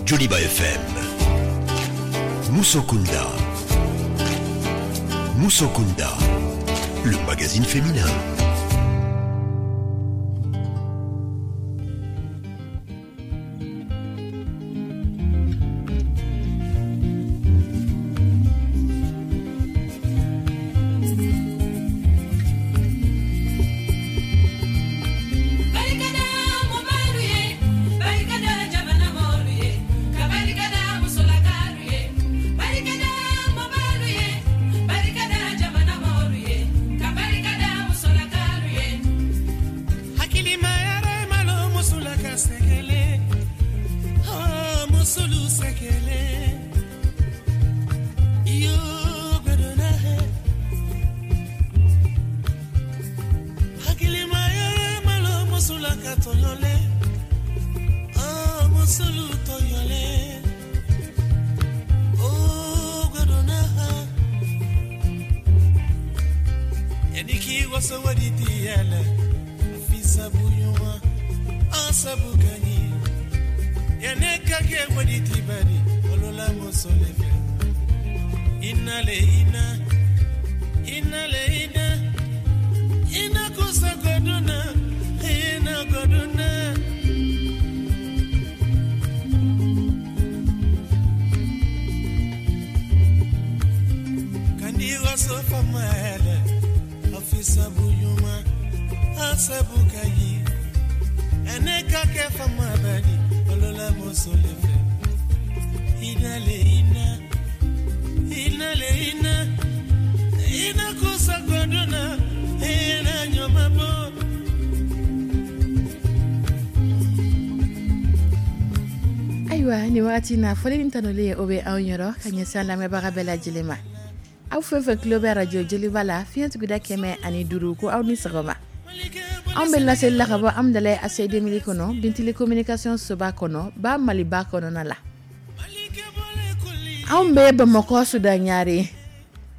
Joliba FM. Musokunda. Musokunda, le magazine féminin. Ayiwa, ni wagati na, foli ni tanuli, o bɛ anw yɔrɔ ka ɲɛsin an lamɛnbaga bɛɛ lajɛlen ma. Aw fɛn fɛn tulo bɛ arajo Joliba la, fiɲɛ tuguda 105, ko aw ni sɔgɔma. Anw bɛ laseli la ka bɔ Amudalayi ACI 2000 kɔnɔ, Bintili communication soba kɔnɔ, ba Maliba kɔnɔna la. Anw bɛ Bamakɔ Sudan Ɲare.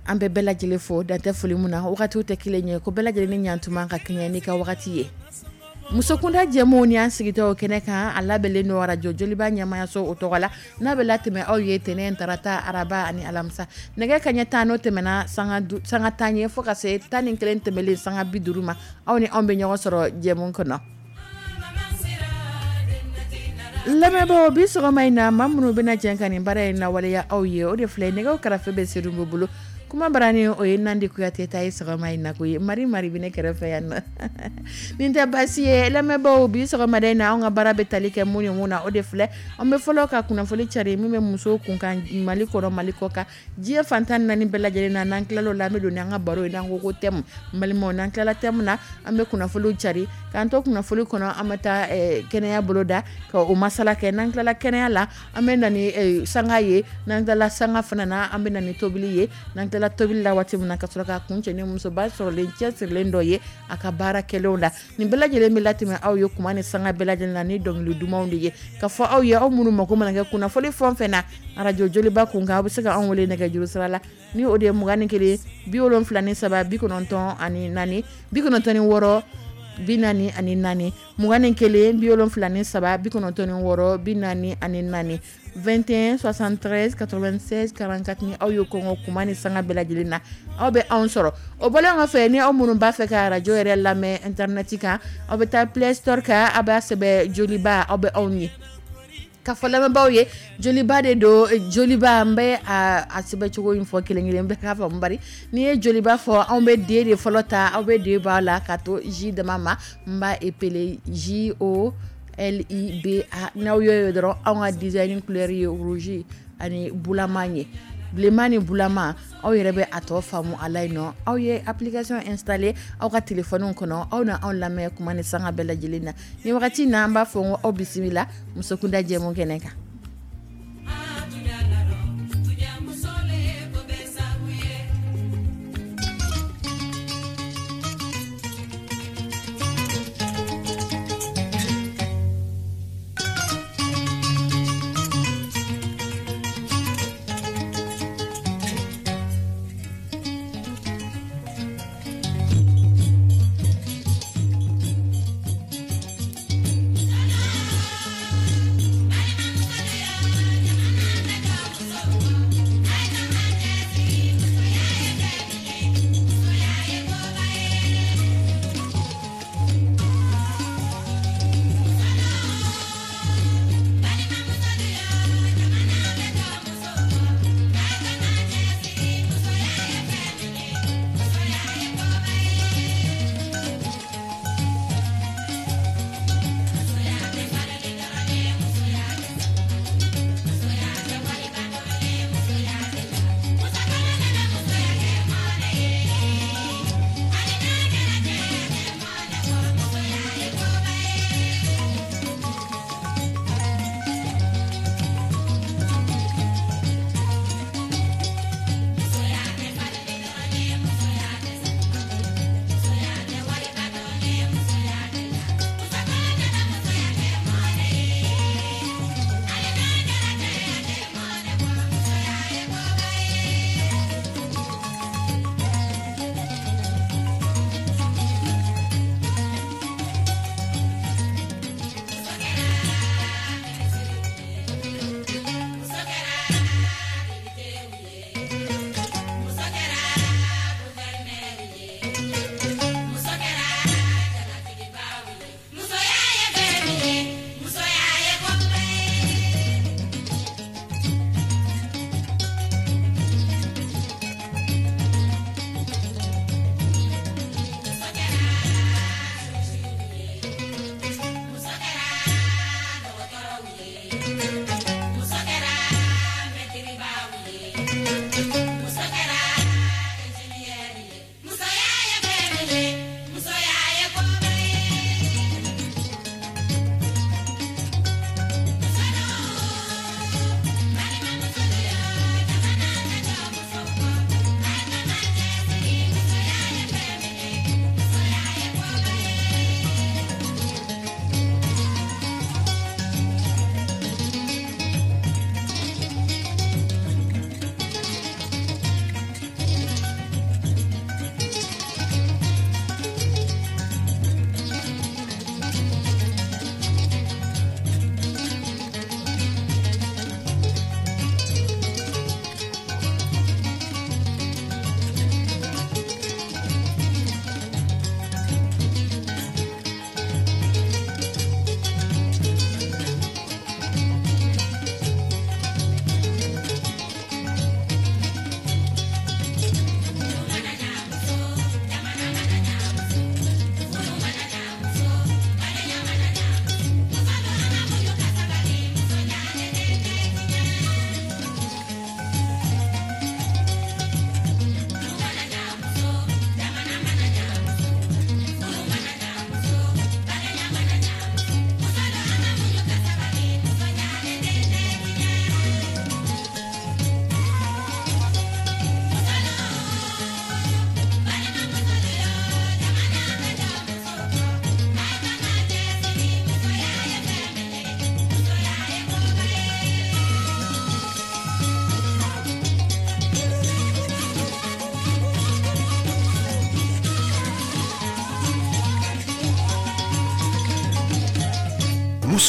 An bɛ bɛɛ lajɛlen fo, dantɛ foli mun na. Wagatiw tɛ kelen ye, ko bɛɛ lajɛlen ni ɲantuma ka kɛɲɛ n'i ka wagati ye. Musokunda jɛmuw ni an sigitɔ o kɛnɛ kan, a labɛnlen don arajo Joliba ɲɛmayaso o tɔgɔ la, n'a bɛ latɛmɛ aw ye tɛnɛn, tarata, araba ani alamisa, nɛgɛ kaɲɛ 10 n'o tɛmɛna sanga 10 ye, fo ka se 11 tɛmɛlen sanga 50 ma, aw ni anw bɛ ɲɔgɔn sɔrɔ jɛmu kɔnɔ. Lamɛnbaaw, bi sɔgɔma in na, maa minnu bɛna jɛn ka nin baara in lawaleya aw ye, o de filɛ. Nɛgɛw karafe bɛ Seydou bolo, kuma barani o ye Nandi Kuyate ta ye sɔgɔma in na. Ko ye Mari Mari bɛ ne kɛrɛfɛ yan nɔ. Nin tɛ baasi ye. Lamɛnbaaw, bi sɔgɔmada in na, anw ka baara bɛ tali kɛ mun ni mun na, o de filɛ. An bɛ fɔlɔ ka kunnafoni cari min bɛ musow kunkan, Mali kɔnɔ, Mali kɔ kan, diɲɛ fantan naani bɛɛ lajɛlen na. N'an tilal'o la, an bɛ don n'an ka baro ye, n'an ko ko thème. N balimaw, n'an tilala thème na, an bɛ kunnafoniw cari. K'an to kunnafoni kɔnɔ, an bɛ taa kɛnɛya boloda ka o masala kɛ. N'an tilala kɛnɛya la, an bɛ na ni sanga ye. N'an tilala sanga fana na, an bɛ na ni tobili ye. N'an tilala tobili la waati min na, ka sɔrɔ ka kuncɛ ni musoba sɔrɔlen cɛsirilen dɔ ye a ka baara kɛlenw la. Nin bɛɛ lajɛlen bɛ latɛmɛ aw ye kuma ni sanga bɛɛ lajɛlen na ni dɔnkili dumanw de ye. Ka fɔ aw ye, aw minnu mako mana kɛ kunnafoni fɛn o fɛn na arajo Joliba kun kan, aw bɛ se ka anw wele nɛgɛjuru sira la, ni o de ye 21 73 94 96 44, 21 73 96 44, 21 73 96 44. Ni aw ye kɔngɔ kuma ni sanga bɛɛ lajɛlen na, aw bɛ anw sɔrɔ. O bɔlen kɔfɛ, ni aw minnu b'a fɛ ka arajo yɛrɛ lamɛn internet kan, aw bɛ taa Play Store kan, aw b'a sɛbɛn Joliba, aw bɛ anw ye. Ka fɔ lamɛnbaaw ye, Joliba de don. Joliba, n bɛ a sɛbɛn cogo in fɔ kelen kelen bɛɛ k'a faamu. Bari n'i ye Joliba fɔ, anw bɛ D de fɔlɔ ta, aw bɛ D bɔ a la ka to J dama ma. N b'a épeler JOLIBA. N'aw y'o ye dɔrɔn, anw ka design couleur ye rouge ani bulama ye, bilenman ni bulama. Aw yɛrɛ bɛ a tɔ faamu a la yen nɔ. Aw ye application installé aw ka téléphone kɔnɔ, aw na anw lamɛn kuma ni sanga bɛɛ lajɛlen na. Ni wagati in na, an b'a fɔ ko aw bisimila Musokunda jɛmu kɛnɛ kan.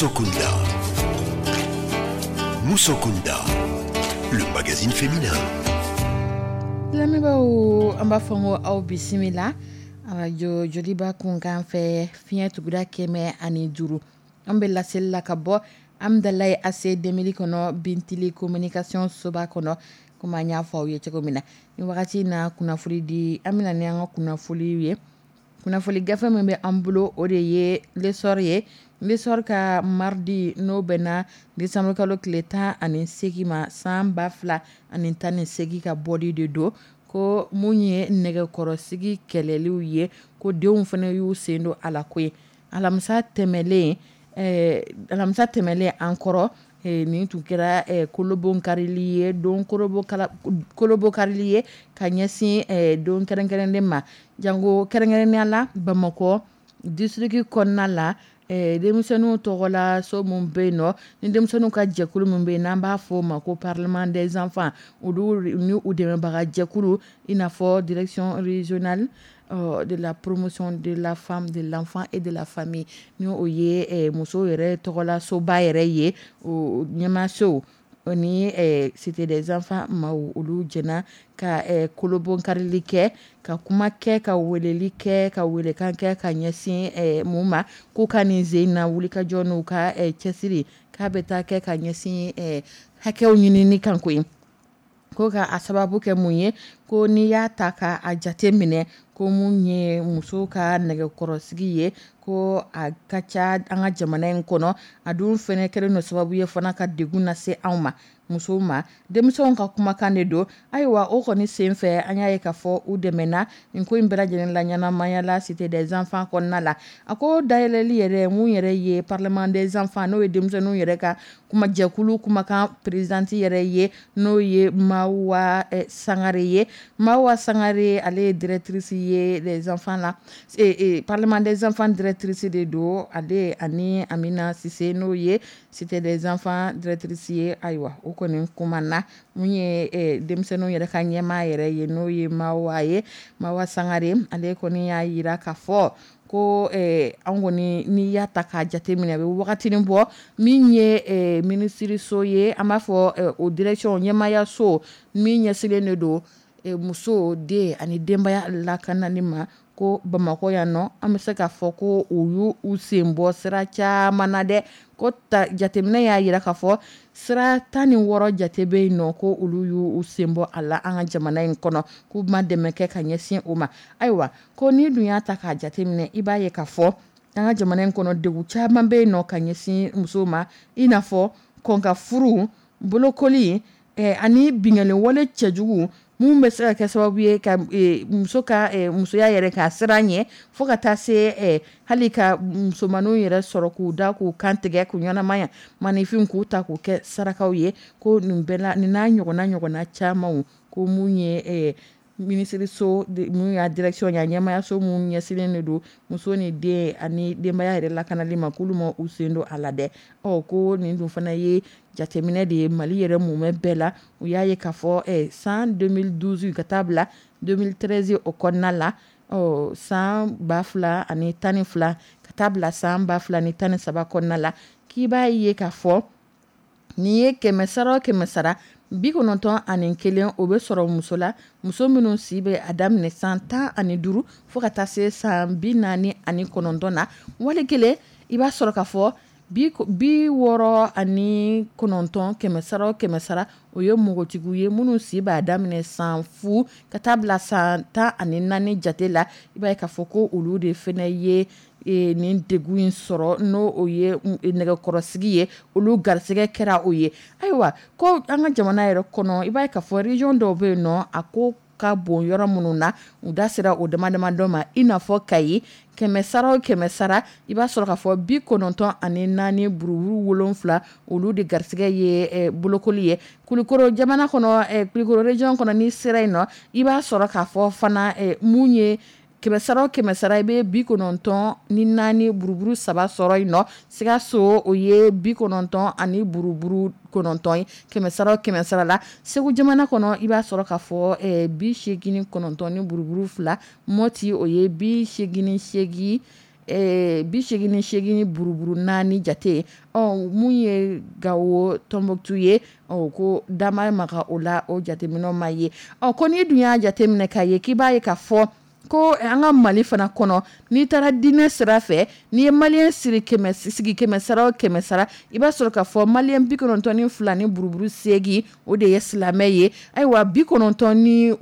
Musokunda. Musokunda, le magazine féminin. Lamɛnbaaw, an b'a fɔ n ko aw bisimila arajo Joliba kunkan fɛ, fiɲɛ tuguda 105. An bɛ laseli la ka bɔ Amidalayi AC 2000 kɔnɔ, Bintili communication soba kɔnɔ. Komi an y'a fɔ aw ye cogo min na, ni wagati in na kunnafoni di, an bɛna ni an ka kunnafoni ye. Kunnafoni gafe min bɛ an bolo, o de ye L'Essor ye. L'Essor ka mardi, n'o bɛnna décembre kalo tile 18 ma san 2018 ka bɔli de don, ko mun ye nɛgɛkɔrɔsigi kɛlɛliw ye, ko denw fana y'u sen don a la koyi. Alamisa tɛmɛlen an kɔrɔ, nin tun kɛra kolobonkarili ye, don kolobokarili ye ka ɲɛsin don kɛrɛnkɛrɛnnen ma, jango kɛrɛnkɛrɛnnenya la Bamakɔ district kɔnɔna la, denmisɛnninw tɔgɔla so min bɛ yen nɔ, ni denmisɛnninw ka jɛkulu min bɛ yen n'an b'a fɔ o ma ko Parlement des enfants, olu ni u dɛmɛbaga jɛkulu, i n'a fɔ direction régionale de la promotion de la femme, de l'enfant et de la famille, ni o ye musow yɛrɛ tɔgɔla soba yɛrɛ ye, o ɲɛmaasow ni Cité des enfants maaw, olu jɛna ka kolobonkarili kɛ, ka kuma kɛ, ka weleli kɛ, ka welekan kɛ ka ɲɛsin mun ma, k'u ka nin sen na wulikajɔ n'u ka cɛsiri k'a bɛ taa kɛ ka ɲɛsin hakɛw ɲinini kan koyi. Ko ka a sababu kɛ mun ye? Ko n'i y'a ta ka a jate minɛ, ko mun ye musow ka nɛgɛkɔrɔsigi ye, ko a ka ca an ka jamana in kɔnɔ, a dun fɛnɛ kɛlen don sababu ye fana ka degun lase anw ma, musow ma. Denmisɛnw ka kumakan de don. Ayiwa, o kɔni sen fɛ, an y'a ye k'a fɔ u dɛmɛna nin ko in bɛɛ lajɛlen la ɲɛnamaya la Cité des enfants kɔnɔna la. A ko dayɛlɛli yɛrɛ, mun yɛrɛ ye Parlement des enfants, n'o ye denmisɛnninw yɛrɛ ka kuma jɛkulu kumakan présidente yɛrɛ ye, n'o ye Mawa Sangare ye. Mawa Sangare, ale ye directrice ye des enfants la, Parlement des enfants directrice de don. Ale ani Amina Sise, n'o ye Cité des enfants directrice ye. Ayiwa, o kɔni kumana mun ye denmisɛnninw yɛrɛ ka ɲɛmaa yɛrɛ ye, n'o ye Mawa ye, Mawa Sangare, ale kɔni y'a yira k'a fɔ ko an kɔni, n'i y'a ta k'a jateminɛ, a bɛ wagatinin bɔ, min ye minisiriso ye, an b'a fɔ o direction ɲɛmaayaso min ɲɛsinnen de don muso, den ani denbaya lakanani ma, ko Bamakɔ yan nɔ, an bɛ se k'a fɔ ko u y'u u sen bɔ sira caman na dɛ. Ko ta jateminɛ y'a jira k'a fɔ sira 16 jate bɛ yen nɔ, ko olu y'u sen bɔ a la an ka jamana in kɔnɔ, k'u ma dɛmɛ kɛ ka ɲɛsin o ma. Ayiwa, ko n'i dun y'a ta k'a jateminɛ, i b'a ye k'a fɔ an ka jamana in kɔnɔ, degun caman bɛ yen nɔ ka ɲɛsin musow ma, i n'a fɔ Kɔnka furu, bolokoli ani binkanni wale cɛjugu minnu bɛ se ka kɛ sababu ye ka muso ka musoya yɛrɛ ka siran ɲɛ, fo ka taa se hali ka musomanninw yɛrɛ sɔrɔ k'u da k'u kantigɛ k'u ɲɛnamaya, maninfin k'u ta k'u kɛ sarakaw ye, ko nin bɛɛ la nin n'a ɲɔgɔnna camanw, ko mun ye minisiriso mun y'a direction ye, a ɲɛmayaso mun ɲɛsinnen de don muso ni den ani denbaya yɛrɛ lakanali ma, k'olu ma u sen don a la dɛ. Ɔ ko nin dun fana ye jateminɛ de ye Mali yɛrɛ mumɛ bɛɛ la. U y'a ye k'a fɔ san 2012 ka taa bila 2013 o kɔnɔna la, ɔ san 2012 ka taa bila san 2013 kɔnɔna la, k'i b'a ye k'a fɔ nin ye 100 sara o 100 sara, 91 o bɛ sɔrɔ muso la, muso minnu si bɛ a daminɛ san 15 fo ka taa se san 49 na. Wali kelen i b'a sɔrɔ k'a fɔ 69, 100 sara o 100 sara, o ye npogotigiw ye minnu si b'a daminɛ san 0 ka taa bila san 14 jate la. I b'a ye k'a fɔ ko olu de fana ye nin degun in sɔrɔ, n'o o ye nɛgɛkɔrɔsigi ye, olu garisɛgɛ kɛra o ye. Ayiwa, ko an ka jamana yɛrɛ kɔnɔ, i b'a ye k'a fɔ région dɔw bɛ yen nɔ, a ko ka bon yɔrɔ minnu na, u da sera o dama dama dɔ ma, i n'a fɔ Kayi, 100 sara o 100 sara, i b'a sɔrɔ k'a fɔ 94 buruburu 7, olu de garisɛgɛ ye bolokoli ye. Kulukoro jamana kɔnɔ, Kulukoro région kɔnɔ, n'i sera yen nɔ, i b'a sɔrɔ k'a fɔ fana mun ye 100 sara o 100 sara, i bɛ 94 buruburu 3 sɔrɔ yen nɔ. Sikaso, o ye 90 ani buruburu 9 ye, 100 sara o 100 sara la. Segu jamana kɔnɔ, i b'a sɔrɔ k'a fɔ 89 ni buruburu 2. Mɔti, o ye 88, 88 buruburu 4 jate ye. Ɔ mun ye Gawo, Tɔnbɔkutu ye, ɔ ko dama maga o la, o jateminɛ ma ye. Ɔ ko n'i dun y'a jateminɛ k'a ye k'i b'a ye k'a fɔ ko an ka Mali fana kɔnɔ, n'i taara diinɛ sira fɛ, n'i ye malien siri kɛmɛ sigi 100 sara o 100 sara, i b'a sɔrɔ k'a fɔ malien 92 ni buruburu 8, o de ye silamɛ ye. Ayiwa, 96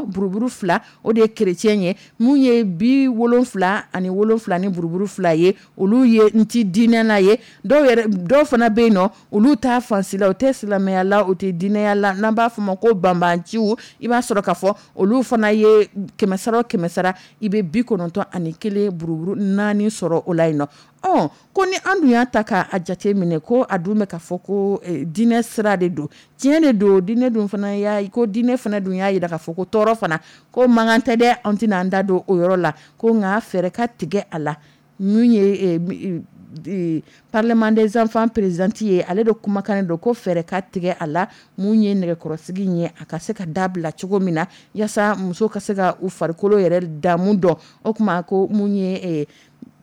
buruburu 2, o de ye chrétien ye. Mun ye 77 ni buruburu 2 ye, olu ye n ti diinɛ na ye. Dɔw yɛrɛ, dɔw fana bɛ yen nɔ, olu t'a fansi la, u tɛ silamɛya la, u tɛ diinɛya la, n'an b'a fɔ ma ko banbanciw. I b'a sɔrɔ k'a fɔ olu fana ye 100 sara o 100 sara, i bɛ 91 buruburu 4 sɔrɔ o la yen nɔ. Ɔ ko ni an dun y'a ta k'a jate minɛ, ko a dun bɛ k'a fɔ ko diinɛ sira de don, tiɲɛ de don, diinɛ dun fana y'a ko diinɛ fana dun y'a jira k'a fɔ ko tɔɔrɔ fana ko mankan tɛ dɛ, an tɛna an da don o yɔrɔ la, ko nka fɛɛrɛ ka tigɛ a la. Mun ye Parlement des enfants présidente ye, ale de kumakan don ko fɛɛrɛ ka tigɛ a la, mun ye nɛgɛkɔrɔsigi ye, a ka se ka dabila cogo min na, yaasa muso ka se ka u farikolo yɛrɛ damu dɔn. O tuma ko mun ye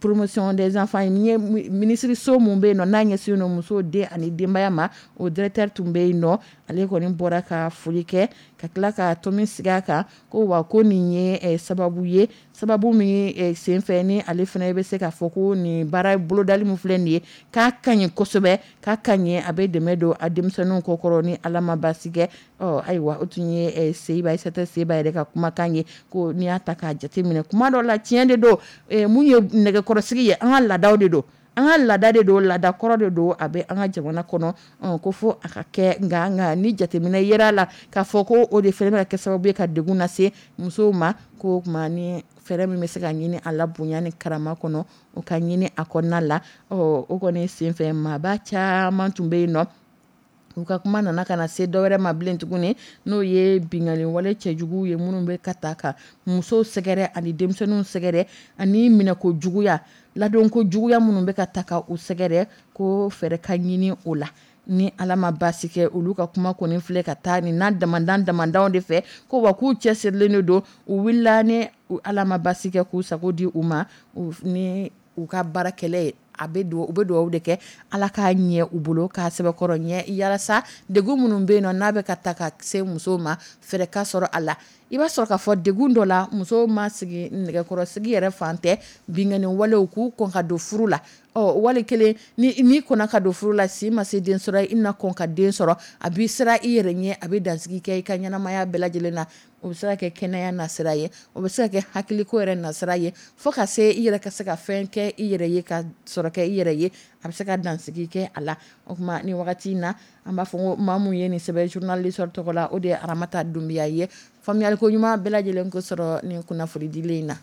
promotion des enfants ye, minisiriso mun bɛ yen nɔ n'a ɲɛsinnen don muso, den ani denbaya ma, o directeur tun bɛ yen nɔ, ale kɔni bɔra ka foli kɛ ka tila ka tomi sigi a kan, ko wa ko nin ye sababu ye, sababu min senfɛ ni ale fana bɛ se k'a fɔ ko nin baara bolodali min filɛ nin ye, k'a ka ɲi kosɛbɛ, k'a ka ɲi, a bɛ dɛmɛ don a denmisɛnninw kɔkɔrɔ ni Ala ma baasi kɛ. Ɔ ayiwa, o tun ye Seyiba Ayisata Seba yɛrɛ ka kumakan ye, ko n'i y'a ta k'a jateminɛ kuma dɔ la, tiɲɛ de don, mun ye nɛgɛkɔrɔsigi ye, an ka laadaw de don, an ka laada de don, laada kɔrɔ de don, a bɛ an ka jamana kɔnɔ, ko fo a ka kɛ. Nka ni jateminɛ yera a la k'a fɔ ko o de fana bɛ ka kɛ sababu ye ka degun lase musow ma, ko tuma ni fɛɛrɛ min bɛ se ka ɲini a la bonya ni karama kɔnɔ, o ka ɲini a kɔnɔna la. Ɔ o kɔni senfɛ, maaba caman tun bɛ yen nɔ, u ka kuma nana ka na se dɔwɛrɛ ma bilen tuguni, n'o ye binkanni wale cɛjugu ye minnu bɛ ka ta ka musow sɛgɛrɛ ani denmisɛnninw sɛgɛrɛ, ani minɛko juguya, ladonko juguya minnu bɛ ka ta ka u sɛgɛrɛ, ko fɛɛrɛ ka ɲini o la. Ni Ala ma baasi kɛ, olu ka kuma kɔni filɛ ka taa nin n'a damandan damandanw de fɛ, ko wa k'u cɛsirilen de don, u wulila ni Ala ma baasi kɛ k'u sago di u ma, ni u ka baara kɛlɛ ye, a bɛ u bɛ dugawu de kɛ Ala k'a ɲɛ u bolo, k'a sɛbɛkɔrɔ ɲɛ, walasa degun minnu bɛ yen nɔ n'a bɛ ka ta ka se musow ma, fɛɛrɛ ka sɔrɔ a la. I b'a sɔrɔ k'a fɔ degun dɔ la, musow ma sigi nɛgɛkɔrɔsigi yɛrɛ fan tɛ, binkanni walew k'u kɔn ka don furu la. Ɔ wali kelen n'i kɔnna ka don furu la, si ma se den sɔrɔ, i na kɔn ka den sɔrɔ, a b'i siran i yɛrɛ ɲɛ, a bɛ dansigi kɛ i ka ɲɛnamaya bɛɛ lajɛlen na. O bɛ se ka kɛ kɛnɛya nasira ye, o bɛ se ka kɛ hakiliko yɛrɛ nasira ye, fo ka se i yɛrɛ ka se ka fɛn kɛ i yɛrɛ ye, ka sɔrɔ kɛ i yɛrɛ ye, a bɛ se ka dansigi kɛ a la. O tuma ni wagati in na, an b'a fɔ ko maa mun ye nin sɛbɛn journal L'Essor tɔgɔ la, o de ye Aramata Dunbiya ye. Faamuyaliko ɲuman bɛɛ lajɛlen ko sɔrɔ nin kunnafonidilen in na.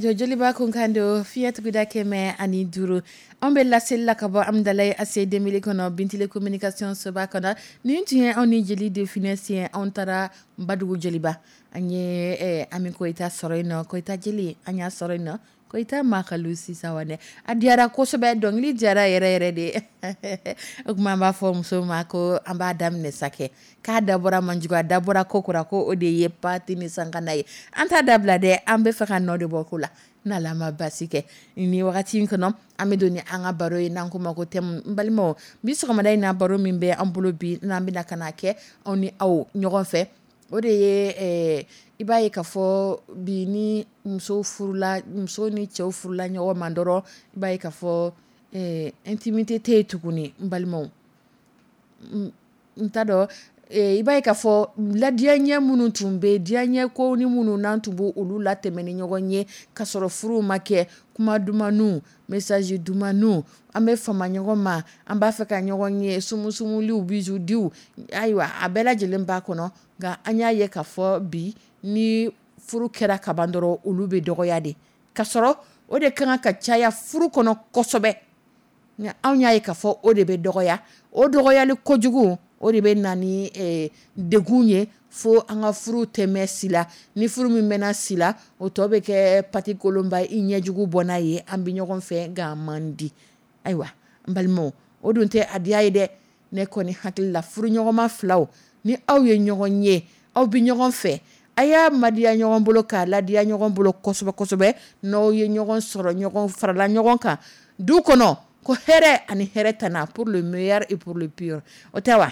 Arajo Joliba kunkan don, fiɲɛ tuguda 105. An bɛ laseli la ka bɔ Amidalayi ACI 2000 kɔnɔ, Bintile communication soba kɔnɔ. Nin tun ye anw ni jeli de finesse ye. Anw taara Badugu Joliba, an ye Ami Koyita sɔrɔ yen nɔ, Koyita jeli an y'a sɔrɔ yen nɔ, Koyita Makalu sisan a diyara kosɛbɛ, dɔnkili diyara yɛrɛ yɛrɛ de. O tuma an b'a fɔ muso ma ko an b'a daminɛ sa kɛ, k'a dabɔra manjugu, a dabɔra ko kura, ko o de ye pati ni sankanda ye. An t'a dabila dɛ, an bɛ fɛ ka nɔ de bɔ ko la n'Ala ma basi kɛ. Ni wagati in kɔnɔ, an bɛ don ni an ka baro ye n'an ko ma ko thème. N balimaw, bi sɔgɔmada in na, baro min bɛ an bolo bi n'an bɛna ka na kɛ aw ni aw ɲɔgɔn fɛ, o de ye i b'a ye k'a fɔ bi ni muso furula, muso ni cɛw furula ɲɔgɔn ma dɔrɔn, i b'a ye k'a fɔ intimité tɛ yen tuguni. N balimaw, n t'a dɔn, i b'a ye k'a fɔ ladiyaɲɛ minnu tun bɛ, diyaɲɛ ko ni minnu n'an tun b'o olu latɛmɛ ni ɲɔgɔn ye ka sɔrɔ furu ma kɛ, kuma dumanniw, message dumanniw, an bɛ fama ɲɔgɔn ma, an b'a fɛ ka ɲɔgɔn ye, sumusumuliw, bisou diw, ayiwa a bɛɛ lajɛlen b'a kɔnɔ. Nka an y'a ye k'a fɔ bi ni furu kɛra kaban dɔrɔn, olu bɛ dɔgɔya de, ka sɔrɔ o de kan ka caya furu kɔnɔ kosɛbɛ. Nka anw y'a ye k'a fɔ o de bɛ dɔgɔya, o dɔgɔyali kojugu o de bɛ na ni degun ye fo an ka furu tɛmɛ si la. Ni furu min mɛnna si la, o tɔ bɛ kɛ pati kolonba i ɲɛjugu bɔ n'a ye, an bɛ ɲɔgɔn fɛ nka man di. Ayiwa n balimaw, o dun tɛ a diya ye dɛ. Ne kɔni hakili la, furu ɲɔgɔnma filaw, ni aw ye ɲɔgɔn ye, aw bɛ ɲɔgɔn fɛ, a y'a madiya ɲɔgɔn bolo k'a ladiya ɲɔgɔn bolo kosɛbɛ kosɛbɛ. N'aw ye ɲɔgɔn sɔrɔ, ɲɔgɔn farala ɲɔgɔn kan du kɔnɔ, ko hɛrɛ ani hɛrɛ tana, pour le meilleur et pour le pire, o tɛ wa?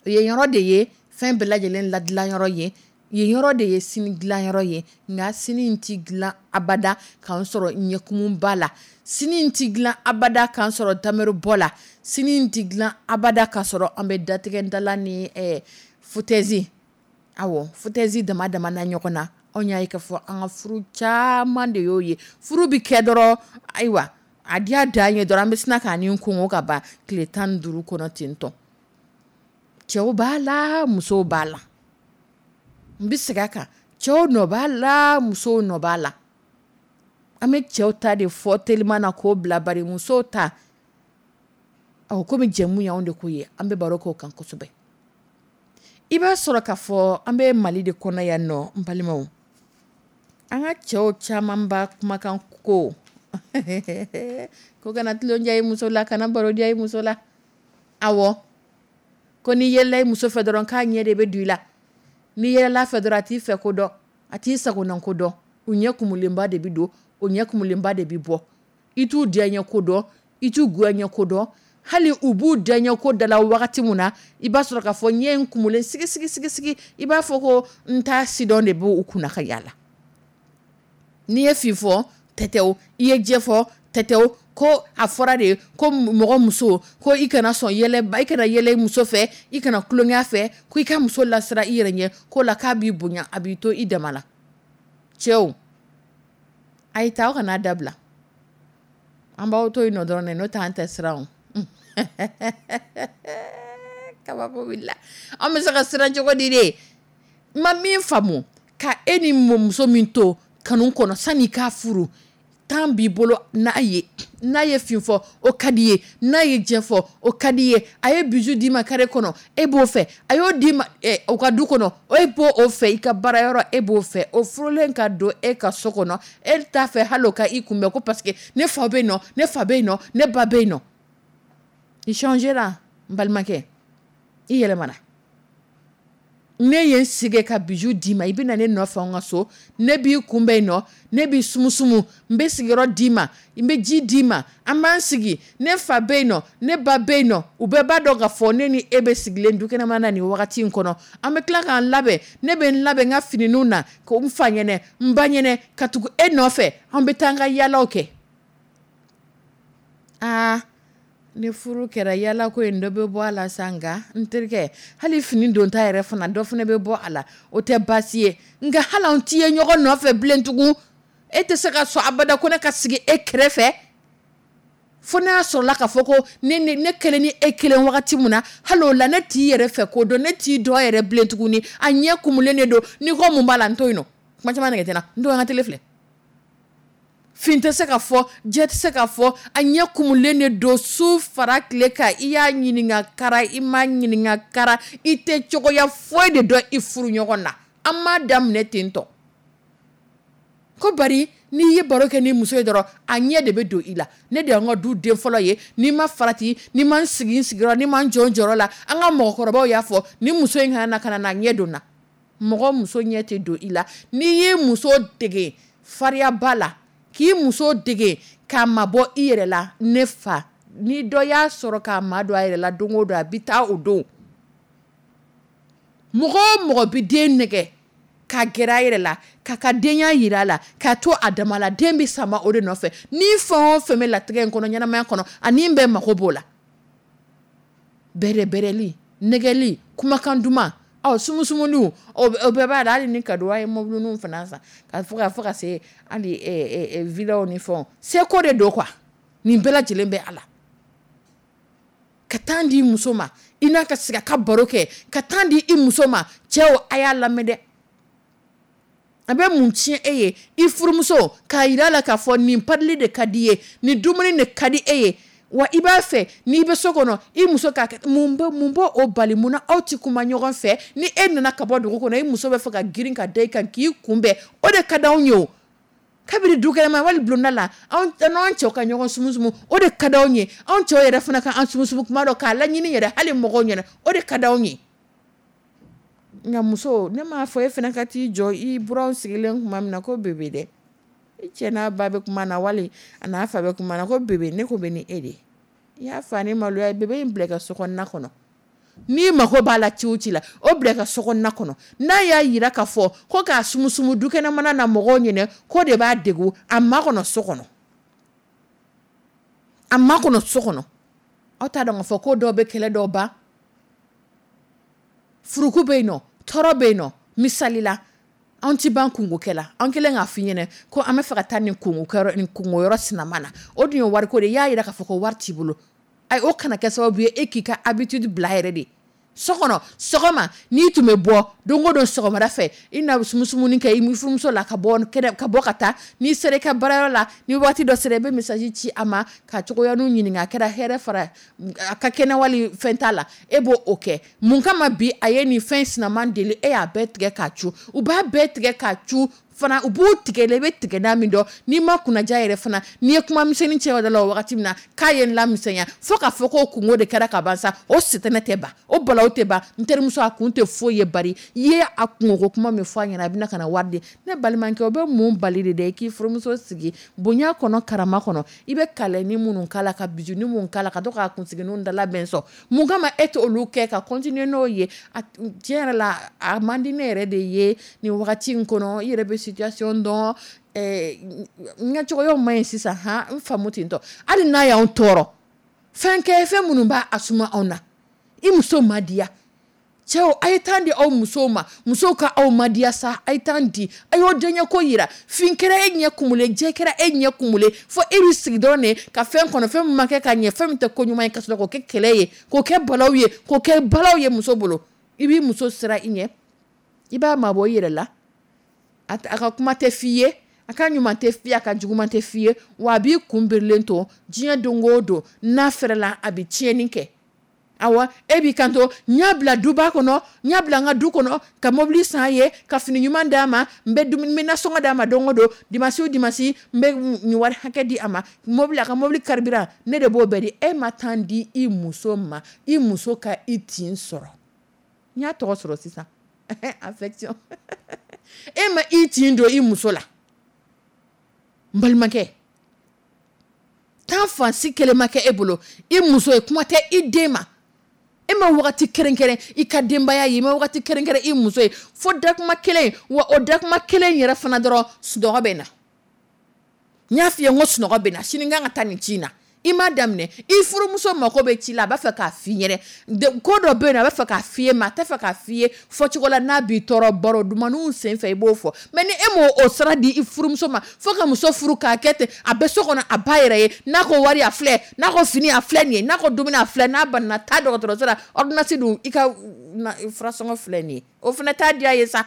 Yen yɔrɔ de ye fɛn bɛɛ lajɛlen ladilanyɔrɔ ye, yen yɔrɔ de ye sini dilanyɔrɔ ye. Nka sini tɛ dilan abada k'an sɔrɔ ɲɛkumunba la, sini tɛ dilan abada k'an sɔrɔ tameribɔ la, sini tɛ dilan abada k'a sɔrɔ an bɛ datigɛndala ni foutaise, awɔ foutaise dama dama na ɲɔgɔn na. Anw y'a ye k'a fɔ an ka furu caman de y'o ye. Furu bɛ kɛ dɔrɔn, ayiwa a diya dan ye dɔrɔn, an bɛ sina k'a ni kungo ka ban tile 15 kɔnɔ ten tɔ. Cɛw b'a la, musow b'a la. N bɛ segin a kan, cɛw nɔ b'a la, musow nɔ b'a la. An bɛ cɛw ta de fɔ teliman na k'o bila, bari musow ta, ɔ komi jɛmu y'anw de ko ye, an bɛ baro k'o kan kosɛbɛ. I b'a sɔrɔ k'a fɔ an bɛ Mali de kɔnɔ yan nɔ, n balimaw, an ka cɛw caman ba kumakan ko ko kana tulon diya i muso la, kana baro diya i muso la. Awɔ, ko n'i yɛlɛla i muso fɛ dɔrɔn k'a ɲɛ de bɛ don i la, n'i yɛlɛla fɛ dɔrɔn a t'i fɛ ko dɔn, a t'i sagona ko dɔn, u ɲɛ kumulenba de bɛ don, o ɲɛ kumulenba de bɛ bɔ. I t'u diyaɲɛ ko dɔn, i t'u goyaɲɛ ko dɔn, hali u b'u diyaɲɛ ko da la wagati min na, i b'a sɔrɔ k'a fɔ ɲɛ in kumulen sigi sigi sigi sigi, i b'a fɔ ko n t'a sidɔn de b'u kunna ka yaala. N'i ye fin fɔ tɛtɛw, i ye jɛ fɔ tɛtɛw, ko a fɔra de ko mɔgɔ muso ko i kana sɔn yɛlɛ, i kana yɛlɛ muso fɛ, i kana tulonkɛ fɛ, ko i ka muso lasira i yɛrɛ ɲɛ, ko la k'a b'i bonya, a b'i to i dama la. Cɛw, a ye taa, aw kana dabila, an b'aw to yen nɔ dɔrɔn dɛ, n'o tɛ an tɛ siran o. Kabako wulila, an bɛ se ka siran cogo di de? N ma min faamu, ka e ni muso min to kanu kɔnɔ sanni k'a furu, temps b'i bolo n'a ye, n'a ye fin fɔ o ka di ye, n'a ye jɛ fɔ o ka di ye, a ye bijou d'i ma carré kɔnɔ e b'o fɛ, a y'o d'i ma o ka du kɔnɔ e b'o o fɛ, i ka baarayɔrɔ e b'o fɛ, o furulen ka don e ka so kɔnɔ e t'a fɛ hali o ka i kunbɛn ko parce que ne fa bɛ yen nɔ, ne fa bɛ yen nɔ, ne ba bɛ yen nɔ. I changera n balimakɛ, i yɛlɛmana. Ne ye n sigi ka bijou d'i ma, i bɛ na ne nɔfɛ an ka so, ne b'i kunbɛn yen nɔ, ne b'i sumusumu, n bɛ sigiyɔrɔ d'i ma, n bɛ ji d'i ma, an b'an sigi, ne fa bɛ yen nɔ, ne ba bɛ yen nɔ, u bɛɛ b'a dɔn k'a fɔ ne ni e bɛ sigilen dukɛnɛma na nin wagati in kɔnɔ. An bɛ tila k'an labɛn, ne bɛ n labɛn n ka finiw na, ko n fa ɲɛnɛ, n ba ɲɛnɛ, ka tugu e nɔfɛ, an bɛ taa an ka yaalaw kɛ. Aa, ni furu kɛra yaala ko in dɔ bɛ bɔ a la sa, nka n terikɛ, hali fini donta yɛrɛ fana dɔ fana bɛ bɔ a la, o tɛ baasi ye. Nka hali an ti ye ɲɔgɔn nɔfɛ bilen tugun, e tɛ se ka sɔn abada ko ne ka sigi e kɛrɛfɛ, fo n'a sɔrɔla k'a fɔ ko ne kelen ni e kelen wagati min na, hali o la ne t'i yɛrɛ fɛ ko dɔn, ne t'i dɔn yɛrɛ bilen tuguni, a ɲɛ kumulen de don. N'i ko mun b'a la, n to yen nɔ, kuma caman nɛgɛ tɛ n na, n to an ka télé filɛ. Fin tɛ se ka fɔ, jɛ tɛ se ka fɔ, a ɲɛ kumulen de don su fara tile kan. I y'a ɲininka kara, i m'a ɲininka kara, i tɛ cogoya foyi de dɔn i furu ɲɔgɔn na. An m'a daminɛ ten tɔ ko bari n'i ye baro kɛ ni muso ye dɔrɔn, a ɲɛ de bɛ don i la. Ne de y'an ka du den fɔlɔ ye. N'i ma farati, n'i ma n sigi n sigiyɔrɔ, n'i ma n jɔ n jɔyɔrɔ la, an ka mɔgɔkɔrɔbaw y'a fɔ, ni muso in kana na ka na ɲɛ don n na. Mɔgɔ muso ɲɛ tɛ don i la. N'i y'i muso dege fariyaba la, k'i muso dege k'a mabɔ i yɛrɛ la, ne fa, ni dɔ y'a sɔrɔ k'a ma don a yɛrɛ la don o don, a bɛ taa o don. Mɔgɔ o mɔgɔ bɛ den nɛgɛ ka gɛrɛ a yɛrɛ la, k'a ka denya jira a la, k'a to a dama la, den bɛ sama o de nɔfɛ. Ni fɛn o fɛn bɛ latigɛ in kɔnɔ, ɲɛnamaya kɔnɔ, ani bɛɛ mako b'o la. Bɛrɛbɛrɛli, nɛgɛli, kumakan duman, ɔ sumusumuni, o bɛɛ b'a la. Hali ni kadowa ye mobiliniw fana san ka fo ka se hali villaw ni fɛnw, seko de don quoi. Nin bɛɛ lajɛlen bɛ a la. Ka temps di muso ma, i n'a ka sigi a ka baro kɛ, ka temps di i muso ma. Cɛw, a y'a lamɛn dɛ. A bɛ mun tiɲɛ e ye i furumuso k'a jira a la k'a fɔ nin padili de ka di ye, nin dumuni de ka di e ye, wa i b'a fɛ n'i bɛ so kɔnɔ i muso k'a kɛ. Mun b'o o bali? Mun na aw tɛ kuma ɲɔgɔn fɛ? Ni e nana ka bɔ dugu kɔnɔ, i muso bɛ fɛ ka girin ka da i kan k'i kunbɛn, o de ka di anw ye o. Kabini dukɛnɛma wali bulonda la, anw n'an cɛw ka ɲɔgɔn sumusumu, o de ka di anw ye. Anw cɛw yɛrɛ fana ka an sumusumu kuma dɔ k'a laɲini yɛrɛ hali mɔgɔw ɲɛna, o de ka di anw ye. Nka muso, ne m'a fɔ e fana ka t'i jɔ i buranw sigilen tuma min na ko bébé dɛ. I cɛ n'a ba bɛ kuma na, wali a n'a fa bɛ kuma na ko bébé, ne ko bɛ ni e de ye. I y'a fa ni maloya ye, bébé in bila i ka so kɔnɔna kɔnɔ. N'i mako b'a la ci o ci la, o bila i ka so kɔnɔna kɔnɔ. N'a y'a jira k'a fɔ ko k'a sumusumu dukɛnɛmana na mɔgɔw ɲɛna k'o de b'a degun, a makɔnɔ so kɔnɔ. A makɔnɔ so kɔnɔ. Aw t'a dɔn k'a fɔ ko dɔw bɛ kɛlɛ dɔw ban. Furuku bɛ yen nɔ, tɔɔrɔ bɛ yen nɔ. Misali la, anw ti ban kungokɛ la. An kɛlen k'a f'i ɲɛna ko an bɛ fɛ ka taa nin kungokɛyɔrɔ, nin kungoyɔrɔ sinama na. O dun ye wariko de ye. I y'a jira k'a fɔ ko wari t'i bolo. Ayi, o kana kɛ sababu ye e k'i ka habitude bila yɛrɛ de. So kɔnɔ sɔgɔma, n'i tun bɛ bɔ don o don sɔgɔmada fɛ, i na sumusumuni kɛ i furumuso la ka bɔ kɛnɛ, ka bɔ ka taa. N'i sera i ka baarayɔrɔ la, ni waati dɔ sera, i bɛ message ci a ma ka cogoyaninw ɲininka, a kɛra hɛrɛ fara a ka kɛnɛ wali fɛn t'a la, e b'o o kɛ. Mun kama bi a ye nin fɛn sinaman deli, e y'a bɛɛ tigɛ k'a cu? U b'a bɛɛ tigɛ k'a cu fana, u b'u tigɛ la, i bɛ tigɛ n'a min dɔn. N'i ma kunnaja yɛrɛ fana, n'i ye kuma misɛnnin cɛ o da la o wagati min na k'a ye n lamisɛnya, fo k'a fɔ k'o kungo de kɛra ka ban sa, o sitanɛ tɛ ban, o balawu tɛ ban. N terimuso, a kun tɛ foyi ye bari i ye a kungoko kuma min fɔ a ɲɛna, a bɛna ka na wari di. Ne balimakɛ, o bɛ mun bali de dɛ i k'i furumuso sigi bonya kɔnɔ, karama kɔnɔ? I bɛ kalɛni minnu k'a la, ka bijou minnu k'a la, ka to k'a kunsigininw dala bɛn sɔn, mun kama e tɛ olu kɛ ka continuer n'o ye? Tiɲɛ yɛrɛ la, a man di ne yɛrɛ de ye nin wagati in kɔnɔ. I yɛrɛ bɛ situation dɔn, n ka cogoyaw man ɲi sisan, han, n faamu ten tɔ. Hali n'a y'anw tɔɔrɔ, fɛn kɛ fɛn minnu b'a a suma anw na, i muso ma diya. Cɛw, a ye temps di aw musow ma, musow ka aw ma diya sa, a ye temps di, a y'o diyaɲɛ ko yira. Fin kɛra e ɲɛ kumulen, jɛ kɛra e ɲɛ kumulen, fo e b'i sigi dɔrɔn de ka fɛn kɔnɔ, fɛn min ma kɛ ka ɲɛ, fɛn min tɛ ko ɲuman ye, ka sɔrɔ k'o kɛ kɛlɛ ye, k'o kɛ balawu ye, k'o kɛ balawu ye muso bolo. I b'i muso sira i ɲɛ, i b'a mabɔ i yɛrɛ la, a ka kuma tɛ f'i ye, a ka ɲuman tɛ f'i ye, a ka juguman tɛ f'i ye, wa a b'i kun birilen to diɲɛ don o don. N'a fɛrɛla, a bɛ tiɲɛni kɛ. Awa, e b'i kanto n y'a bila duba kɔnɔ, n y'a bila n ka du kɔnɔ, ka mobili san ye, ka fini ɲuman d'a ma, n bɛ dumuni, n bɛ nasɔngɔ d'a ma don o don, dimanche o dimanche n bɛ nin wari hakɛ di a ma, mobili, a ka mobili carburant ne de b'o bɛɛ di. E ma temps di i muso ma, i muso ka i tin sɔrɔ. N y'a tɔgɔ sɔrɔ sisan, affection. E ma i tin don i muso la. N balimakɛ, temps fansi kelen ma kɛ e bolo i muso ye, kuma tɛ i den ma. E ma wagati kɛrɛnkɛrɛn i ka denbaya ye, i ma wagati kɛrɛnkɛrɛn i muso ye, fo dakuma kelen. Wa o dakuma kelen yɛrɛ fana dɔrɔn, sunɔgɔ bɛ na. N y'a f'i ye n ko sunɔgɔ bɛ na, sini n kan ka taa nin ci in na. I m'a daminɛ, i furumuso mako bɛ ci la, a b'a fɛ k'a f'i ɲɛnɛ. Ko dɔ bɛ yen nɔ, a b'a fɛ k'a f'i ye, mais a t'a fɛ k'a f'i ye fɔcogo la n'a b'i tɔɔrɔ. Baro dumanniw sen fɛ i b'o fɔ, mais ni e m'o o sira di i furumuso ma, fo ka muso furu k'a kɛ ten, a bɛ so kɔnɔ a ba yɛrɛ ye, n'a ko wari a filɛ, n'a ko fini a filɛ nin ye, n'a ko dumuni a filɛ, n'a banana taa dɔgɔtɔrɔso la, ordonnance dun, i ka furasɔngɔ filɛ nin ye, o fana t'a diya ye sa.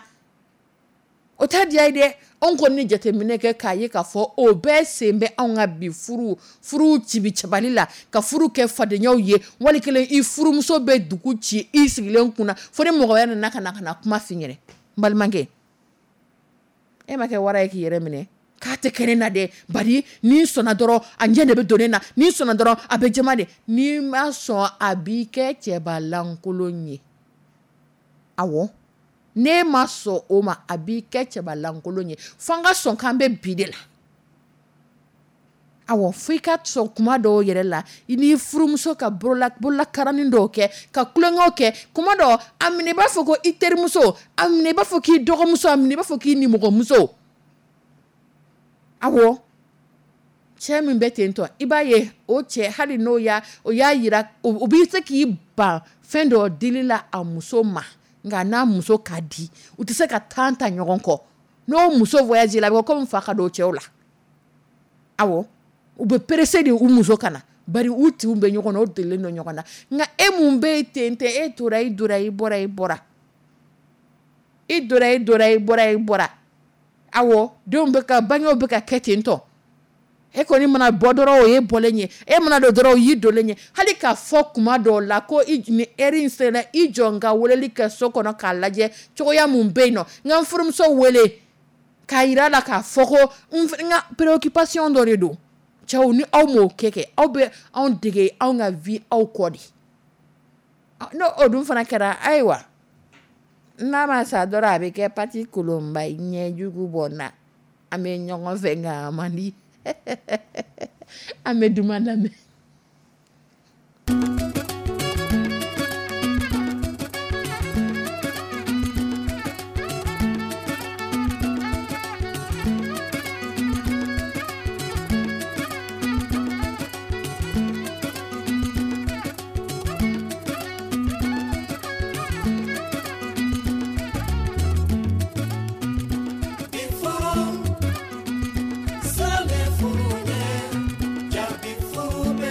O t'a diya ye dɛ. Anw kɔni ni jateminɛ kɛ k'a ye k'a fɔ o bɛɛ sen bɛ anw ka bi furu cibi cabali la, ka furu kɛ fadenyaw ye. Wali kelen i furumuso bɛ dugu ci i sigilen kunna, fo ni mɔgɔ wɛrɛ nana ka na kuma f'i ɲɛna. N balimakɛ, e ma kɛ wara ye k'i yɛrɛ minɛ k'a tɛ kɛ ne na dɛ, bari n'i sɔnna dɔrɔn a ɲɛ de bɛ don ne na, n'i sɔnna dɔrɔn a bɛ jama de. N'i ma sɔn a b'i kɛ cɛbalankolon ye. Awɔ, n'e ma sɔn o ma a b'i kɛ cɛbalankolon ye. Fo an ka sɔn k'an bɛ bi de la. Awɔ, fo i ka sɔn kuma dɔw yɛrɛ la i n'i furumuso ka bololakaranin dɔw kɛ, ka tulonkɛw kɛ. Kuma dɔw a minɛ i b'a fɔ ko i terimuso, a minɛ i b'a fɔ k'i dɔgɔmuso, a minɛ i b'a fɔ k'i nimɔgɔmuso. Awɔ, cɛ min bɛ ten tɔ, i b'a ye o cɛ hali n'o y'a o y'a yira, o b'i se k'i ban fɛn dɔ dili la a muso ma, nka n'a muso ka di u tɛ se ka temps ta ɲɔgɔn kɔ. N'o muso voyage la, a bɛ komi fa ka don cɛw la. Awɔ, u bɛ pressé de u muso ka na, bari u tinw bɛ ɲɔgɔn na, u delilen don ɲɔgɔn na. Nka e mun bɛ yen ten tɛ, e tora i donna i bɔra i bɔra, i donna i donna i bɔra i bɔra. Awɔ, denw bɛ ka bangew bɛ ka kɛ ten tɔ. E kɔni mana bɔ dɔrɔn o ye bɔlen ye, e mana don dɔrɔn o y'i donlen ye. Hali k'a fɔ kuma dɔw la ko i ni heure in sera, i jɔ n ka weleli kɛ so kɔnɔ k'a lajɛ cogoya mun bɛ yen nɔ, n ka n furumuso wele k'a yira la k'a fɔ ko n ka préoccupation dɔ de don. Cɛw, ni aw m'o kɛ aw bɛ anw dege anw ka vie aw kɔ de. N'o o dun fana kɛra, ayiwa, n'a ma sa dɔrɔn a bɛ kɛ pati kolonba ye, ɲɛjugu bɔ n na. An bɛ ɲɔgɔn fɛ nka a man di. An bɛ duman lamɛn. Furu, sale furu ɲɛ, jabi furu bɛ.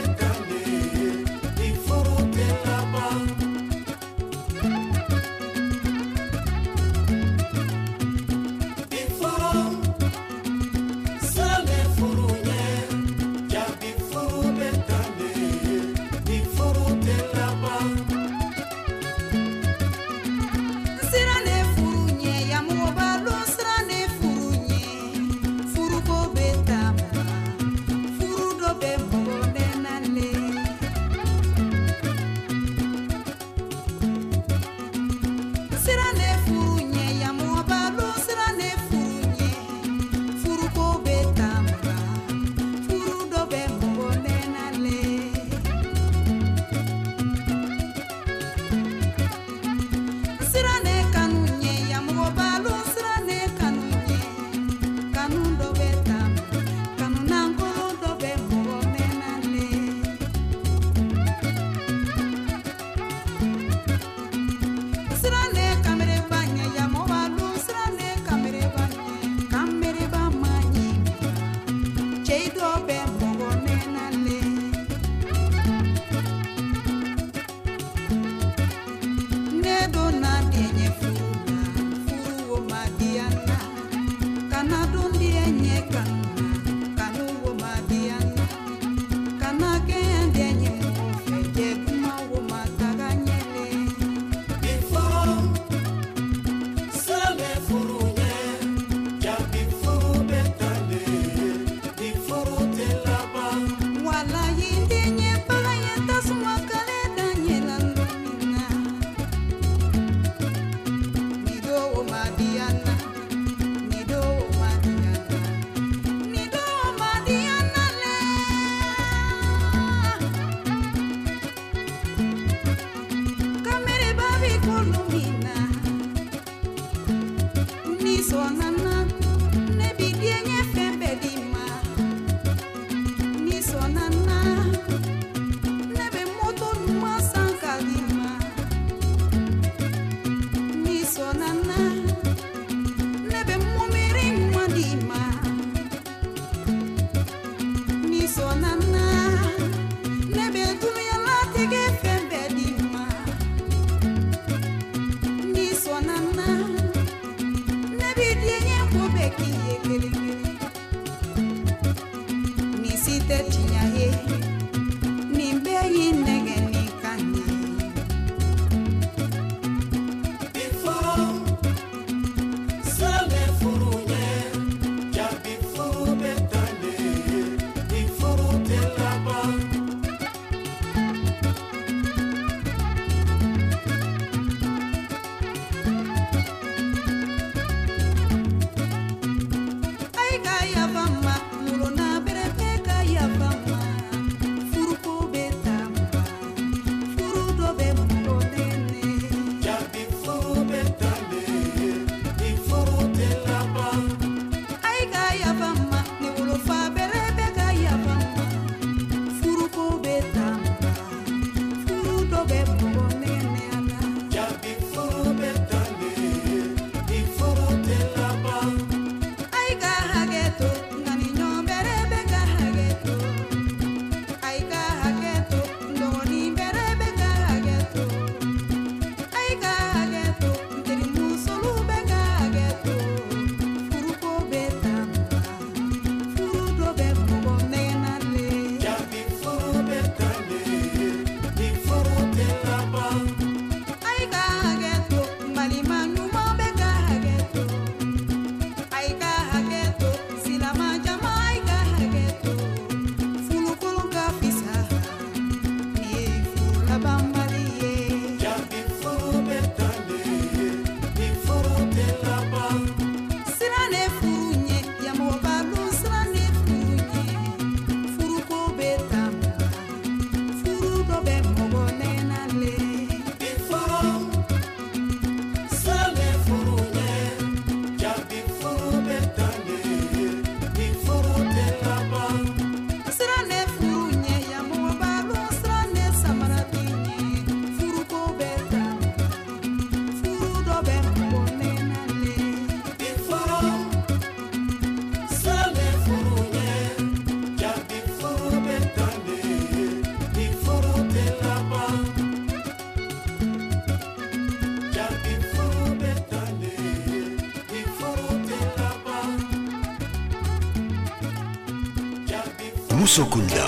Musokunda.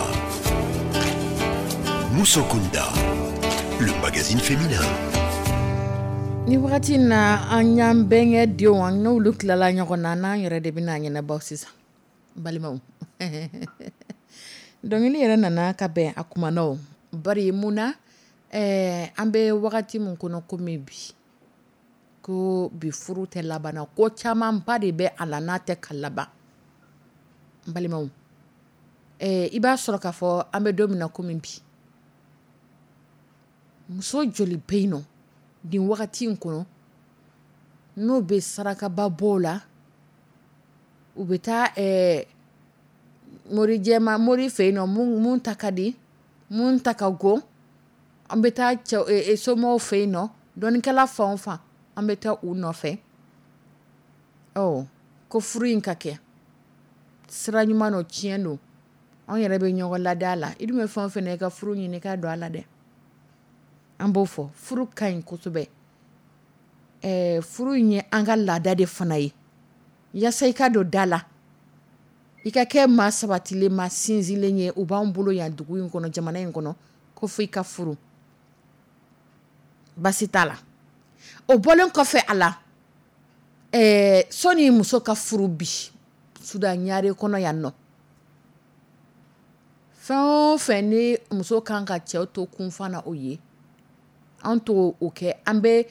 Musokunda, le magazine féminin. Ni wagati in na, an y'an bɛnkɛ denw, an n'olu tilala ɲɔgɔn na, n'an yɛrɛ de bɛna ɲɛnabɔ sisan, balimaw. Dɔnkili yɛrɛ nana ka bɛn a kuma na, bari mun na? An bɛ wagati min kɔnɔ komi bi, ko bi furu tɛ laban, ko camanba de bɛ a la n'a tɛ ka laban. N balimaw, i b'a sɔrɔ k'a fɔ an bɛ don min na komi bi, muso joli bɛ yen nɔ nin wagati in kɔnɔ n'o bɛ sarakaba bɔ la, u bɛ taa mori jɛma mori fɛ yen nɔ, mun ta ka di, mun ta ka go, an bɛ taa cɛ somɔgɔw fɛ yen nɔ, dɔnnikɛla fan o fan, an bɛ taa u nɔfɛ, ɔ ko furu in ka kɛ sira ɲuman don. Tiɲɛ don, anw yɛrɛ bɛ ɲɔgɔn lada a la. I dun bɛ fɛn o fɛn na, i ka furu ɲini, i ka don a la dɛ. An b'o fɔ, furu ka ɲi kosɛbɛ. Furu in ye an ka laada de fana ye. Yaasa i ka don da la, i ka kɛ maa sabatilen, maa sinsinlen ye, u b'an bolo yan dugu in kɔnɔ, jamana in kɔnɔ, ko fo i ka furu. Basi t'a la. O bɔlen kɔfɛ a la, sɔnni muso ka furu bi Sudan ɲare kɔnɔ yan nɔ, fɛn o fɛn ni muso kan ka cɛw to kunfan na, o ye an to o kɛ. An bɛ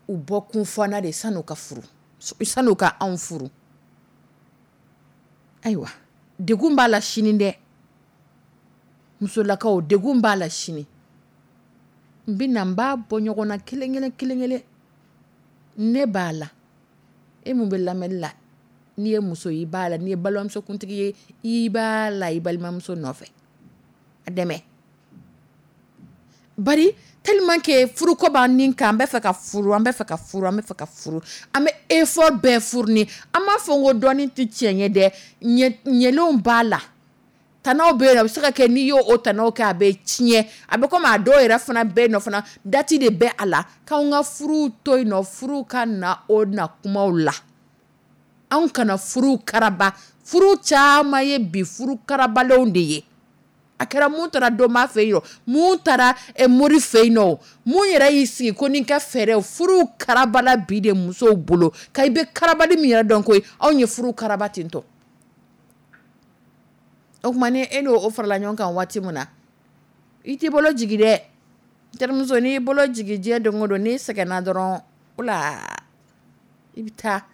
u bɔ kunfana de sanu ka furu, sanu ka anw furu. Ayiwa, degun b'a la sini dɛ, musolakaw, degun b'a la sini. N bɛ na, n b'a bɔ ɲɔgɔn na kelen kelen kelen kelen. Ne b'a la, e mun bɛ lamɛnni la, n'i ye muso i b'a la, n'i ye balimamusokuntigi ye, i b'a la i balimamuso nɔfɛ a dɛmɛ. Bari tellement que furuko b'an nin kan, an bɛ fɛ ka furu, an bɛ fɛ ka furu, an bɛ fɛ ka furu, an bɛ effort bɛɛ fourni. An m'a fɔ ko dɔɔnin tɛ tiɲɛ ye dɛ, ɲɛlenw b'a la, tanaw bɛ yen, a bɛ se ka kɛ n'i y'o o tanaw kɛ, a bɛ tiɲɛ. A bɛ komi a dɔw yɛrɛ fana bɛ yen nɔ fana, date de bɛ a la k'anw ka furuw to yen nɔ, furu ka na o na kumaw la. Anw kana furu karaba. Furu caman ye bi furu karabalenw de ye. A kɛra mun taara dɔnba fɛ yen, mun taara mori fɛ yen nɔ, mun yɛrɛ y'i sigi ko ni ka fɛɛrɛ, furu karabala bi de musow bolo. Ka i bɛ karabali min yɛrɛ dɔn koyi, anw ye furu karaba ten tɔ. O tuma ni e n'o farala ɲɔgɔn kan waati min na, i t'i bolo jigin dɛ, terimuso. N'i bolo jigin diɲɛ don o don, n'i sɛgɛnna dɔrɔn, o la i bɛ taa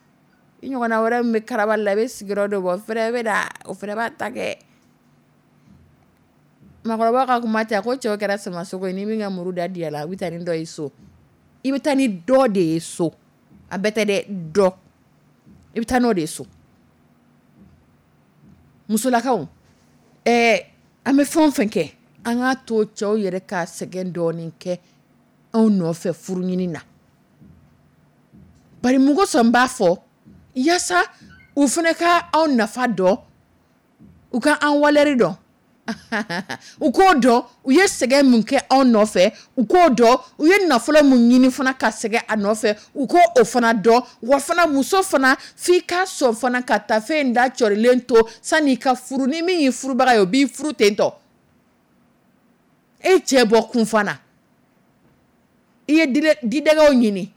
i ɲɔgɔnna wɛrɛ min bɛ karabali la, i bɛ sigiyɔrɔ dɔ bɔ fɛrɛ bɛ na, o fɛnɛ b'a ta kɛ. Maakɔrɔba ka kuma tɛ ko cɛw kɛra samasogo ye, ni min ka muru da diya la, u bɛ taa ni dɔ ye so. I bɛ taa ni dɔ de ye so, a bɛɛ tɛ dɛ, dɔ, i bɛ taa n'o de ye so. Musolakaw, an bɛ fɛn o fɛn kɛ, an k'a to cɛw yɛrɛ ka sɛgɛn dɔɔnin kɛ anw nɔfɛ furu ɲini na. Bari mun kosɔn n b'a fɔ? Yaasa u fana ka anw nafa dɔn, u ka an valeur dɔn, u k'o dɔn u ye sɛgɛn min kɛ anw nɔfɛ, u k'o dɔn u ye nafolo min ɲini fana ka sɛgɛn a nɔfɛ, u k'o o fana dɔn. Wa fana, muso fana, f'i ka sɔn fana ka tafe in da cɔrilen to sanni i ka furu. Ni min y'i furubaga ye, o b'i furu ten tɔ. E cɛ bɔ kun fana, i ye didɛgɛw ɲini,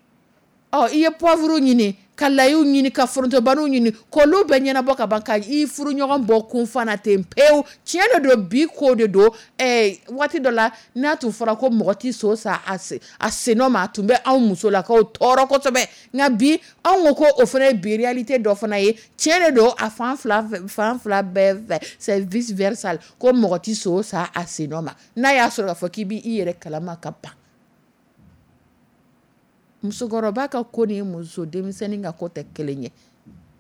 ɔ i ye poivre ɲini, ka layiw ɲini, ka forontobaniw ɲini, k'olu bɛɛ ɲɛnabɔ ka ban, ka i furu ɲɔgɔn bɔ kun fana ten pewu. Tiɲɛ de don, bi ko de don. Waati dɔ la, n'a tun fɔra ko mɔgɔ tɛ so san a sennɔ ma, a tun bɛ anw musolakaw tɔɔrɔ kosɛbɛ. Nka bi, anw ko o fana ye bi réalité dɔ fana ye. Tiɲɛ de don, a fan fila fan fila bɛɛ fɛ, c'est vice versa, ko mɔgɔ tɛ so san a sennɔ ma, n'a y'a sɔrɔ k'a fɔ k'i b'i yɛrɛ kalama ka ban. Musokɔrɔba ka ko ni muso denmisɛnnin ka ko tɛ kelen ye.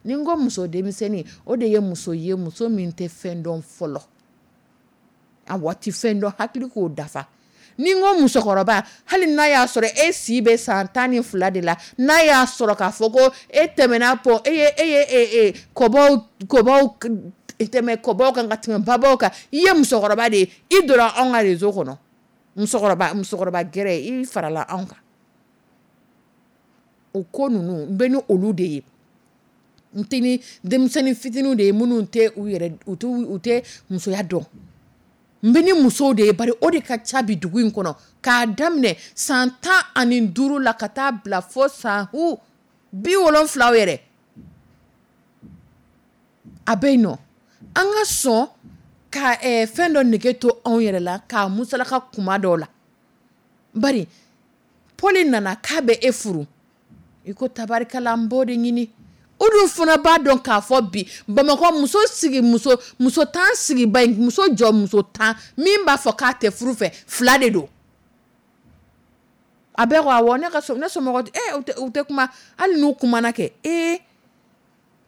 Ni n ko muso denmisɛnnin, o de ye muso ye, muso min tɛ fɛn dɔn fɔlɔ, a waati fɛn dɔn hakili k'o dafa. Ni n ko musokɔrɔba, hali n'a y'a sɔrɔ e si bɛ san 12 de la, n'a y'a sɔrɔ k'a fɔ ko e tɛmɛna pɔ, e ye kɔbaw kɔbaw tɛmɛ kɔbaw kan ka tɛmɛ babaw kan, i ye musokɔrɔba de ye. I donna anw ka réseau kɔnɔ, musokɔrɔba, musokɔrɔba gɛrɛ, i farala anw kan. O ko ninnu, n bɛ ni olu de ye. N tɛ ni denmisɛnnin fitininw de ye, minnu tɛ u yɛrɛ, u tɛ musoya dɔn. N bɛ ni musow de ye, bari o de ka ca bi dugu in kɔnɔ, k'a daminɛ san 15 la ka taa bila fo san 70 yɛrɛ a bɛ yen nɔ. An ka sɔn ka fɛn dɔ nege to anw yɛrɛ la k'a musalaka kuma dɔw la. Bari Paul nana k'a bɛ e furu, i ko tabarikala n b'o de ɲini. O dun fana b'a dɔn k'a fɔ bi Bamakɔ muso sigi muso 10 sigiba in, muso jɔ muso 10 min b'a fɔ k'a tɛ furu fɛ, 2 de don. A bɛɛ ko awɔ, ne ka ne somɔgɔ u tɛ kuma, hali n'u kumana kɛ,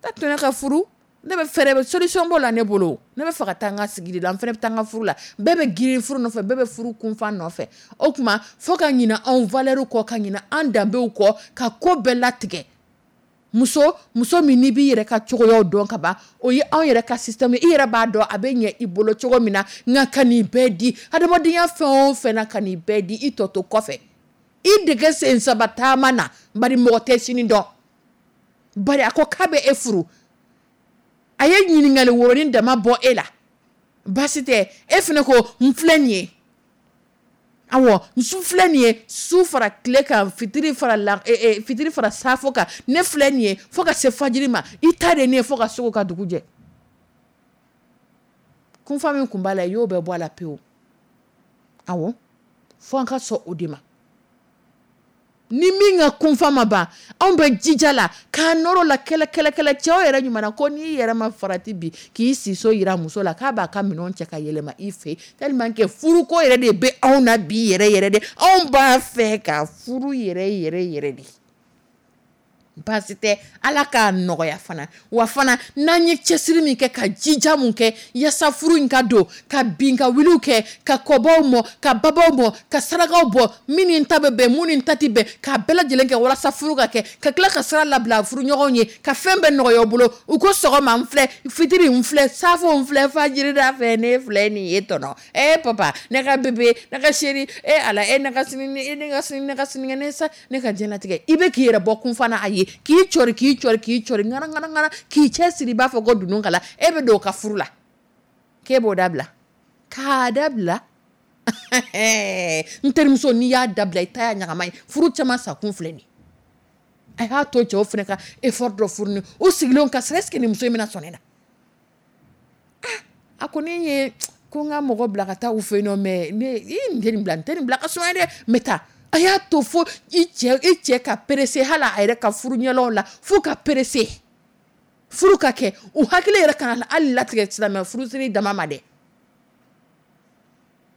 ta to ne ka furu, ne bɛ fɛɛrɛ, solution b'o la ne bolo, ne bɛ fɛ ka taa n ka sigi de la, n fana bɛ taa n ka furu la. Bɛɛ bɛ girin furu nɔfɛ, bɛɛ bɛ furu kunfan nɔfɛ. O tuma fo ka ɲinɛ anw valeur kɔ, ka ɲinɛ an danbew kɔ, ka ko bɛɛ latigɛ. Muso min n'i b'i yɛrɛ ka cogoyaw dɔn ka ban, o ye anw yɛrɛ ka système, i yɛrɛ b'a dɔn a bɛ ɲɛ i bolo cogo min na, nka ka nin bɛɛ di adamadenya fɛn o fɛn na, ka nin bɛɛ di i tɔ to kɔfɛ. I dege sen saba taama na, bari mɔgɔ tɛ sini dɔn. Bari a ko k'a bɛ e furu, a ye ɲininkali woronin dama bɔ e la, baasi tɛ, e fana ko n filɛ nin ye. Awɔ, n su filɛ nin ye, su fara tile kan, fitiri fara la, fitiri fara safo kan, ne filɛ nin ye fo ka se fajiri ma, i ta de ne ye fo ka se ka dugu jɛ. Kunfa min kun b'a la, i y'o bɛɛ bɔ a la pewu. Awɔ, fo an ka sɔn o de ma. Ni min ka kunfa ma ban, anw bɛ jija la k'an nɔrɔ la kɛlɛ kɛlɛ kɛlɛ. Cɛw yɛrɛ ɲuman na ko n'i yɛrɛ ma farati bi k'i siso yira muso la k'a b'a ka minɛnw cɛ ka yɛlɛma i fɛ, tellement que furuko yɛrɛ de bɛ anw na bi yɛrɛ yɛrɛ de. Anw b'a fɛ ka furu yɛrɛ yɛrɛ yɛrɛ de. Baasi tɛ, Ala k'a nɔgɔya fana. Wa fana n'an ye cɛsiri min kɛ, ka jija mun kɛ yaasa furu in ka don, ka bin ka wuliw kɛ, ka kɔbaw mɔ, ka babaw mɔ, ka sarakaw bɔ, min ni ta bɛ bɛn, mun ni ta tɛ bɛn, k'a bɛɛ lajɛlen kɛ walasa furu ka kɛ, ka tila ka sira labila furuɲɔgɔnw ye, ka fɛn bɛɛ nɔgɔya u bolo. U ko sɔgɔma n filɛ, fitiri n filɛ, safo n filɛ, fajiri da fɛ ne filɛ nin ye tɔnɔ. Papa, ne ka bébé, ne ka chéri, Ala, ne ka sini, ne ka sini, ne ka sinikɛnɛ sa, ne ka diɲɛlatigɛ. I bɛ k'i yɛrɛ bɔ kunfa na a ye, k'i cɔri, k'i cɔri, k'i cɔri, ŋara, ŋara, ŋara, k'i cɛ siri, i b'a fɔ ko dunun kala, e bɛ don o ka furu la, k'e b'o dabila, k'a dabila. N terimuso, n'i y'a dabila, i ta y'a ɲagama ye. Furu caman sakun filɛ nin ye. A y'a to cɛw fana ka effort dɔ fourni, u sigilen ka sɔrɔ, est ce que nin muso in bɛna sɔn ne na? A ko ne ye ko n ka mɔgɔ bila ka taa u fɛ yen nɔ, mais ne n tɛ nin bila, n tɛ nin bila ka suma dɛ, n bɛ taa. A y'a to fo i cɛ ka pressé, hali a yɛrɛ ka furu ɲɛlaw la, fo ka pressé furu ka kɛ, u hakili yɛrɛ kana hali latigɛ silamɛ furusiri dama ma dɛ.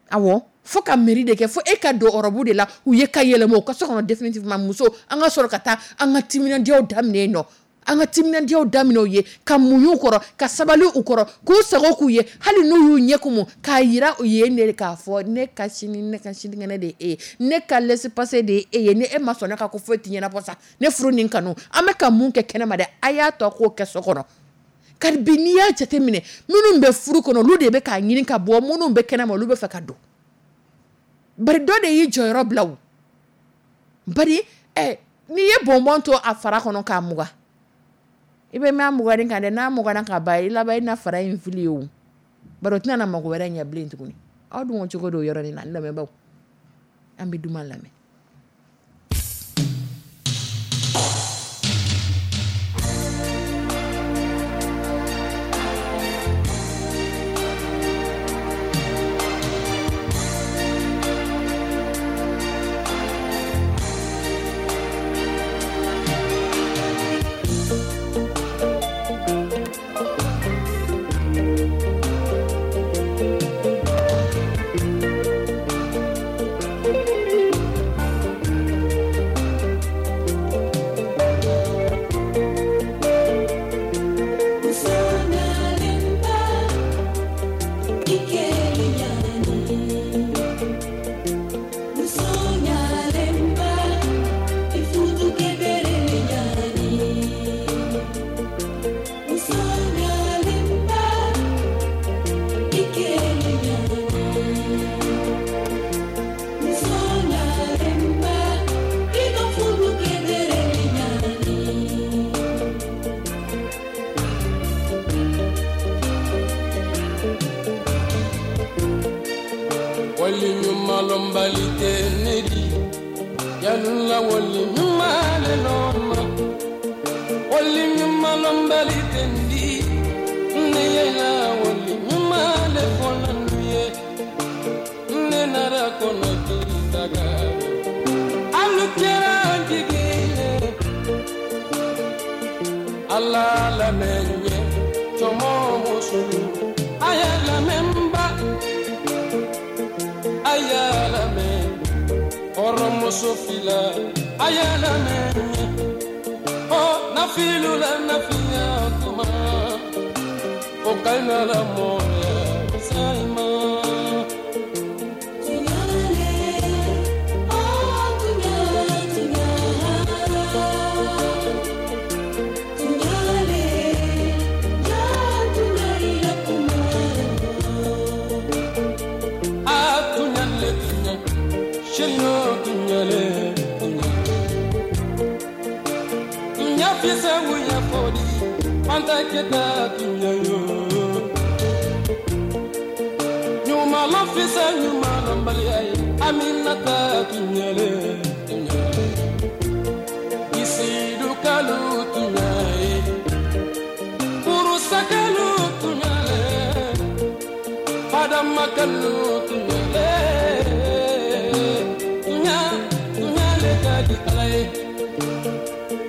Awɔ, fo ka mairie de kɛ, fo e ka don ɔrɔbu de la, u ye ka yɛlɛma u ka so kɔnɔ définitivement. Muso, an ka sɔrɔ ka taa an ka timinandiyaw daminɛ yen nɔ, an ka timinandiyaw daminɛ u ye, ka muɲu u kɔrɔ, ka sabali u kɔrɔ, k'u sago k'u ye, hali n'u y'u ɲɛ kumu, k'a yira u ye ne k'a fɔ ne ka sini, ne ka sinikɛnɛ de ye e ye, ne ka laissez-passer de ye e ye, ni e ma sɔn ne ka ko foyi tɛ ɲɛnabɔ sa, ne furu ni kanu, an bɛ ka mun kɛ kɛnɛma dɛ, a y'a tɔ k'o kɛ so kɔnɔ. Kari bi n'i y'a jateminɛ, minnu bɛ furu kɔnɔ, olu de bɛ k'a ɲini ka bɔ, minnu bɛ kɛnɛma, olu bɛ fɛ ka don. Bari dɔ de y'i jɔyɔrɔ bila o. Bari n'i ye bonbon to a fara kɔnɔ k'a mugan, i bɛ mɛn a muganni kan dɛ, n'a muganna ka ban, i laban i na fara in fili ye o. Bari o tɛna na mago wɛrɛ ɲɛ bilen tuguni. Aw dun ko cogo don yɔrɔnin na, n lamɛnbaaw. An bɛ duman lamɛn. Wali ɲumanlɔnbali tɛ ne di yalula wali ɲuman le lɔn wali ɲumanlɔnbali tɛ n di ne yɛlɛ wali ɲuman le fɔlɔ nu ye ne nara kɔnɔ k'i taga alu kɛra n jigi ye Ala lamɛn ye cɔmɔ musolu a y'a lamɛn ba a y'a lamɛn hɔrɔnmuso fila a y'a lamɛn ɔ nafilu la nafiya kuma o ka ɲi la mɔya sayima. Keta tunya yo nyuma lofisa nyuma lombali ay Aminata tunyale tunya isidu kalu tunya purusa kalu tunyale padama kalu tunyale tunya tunyale kadi alay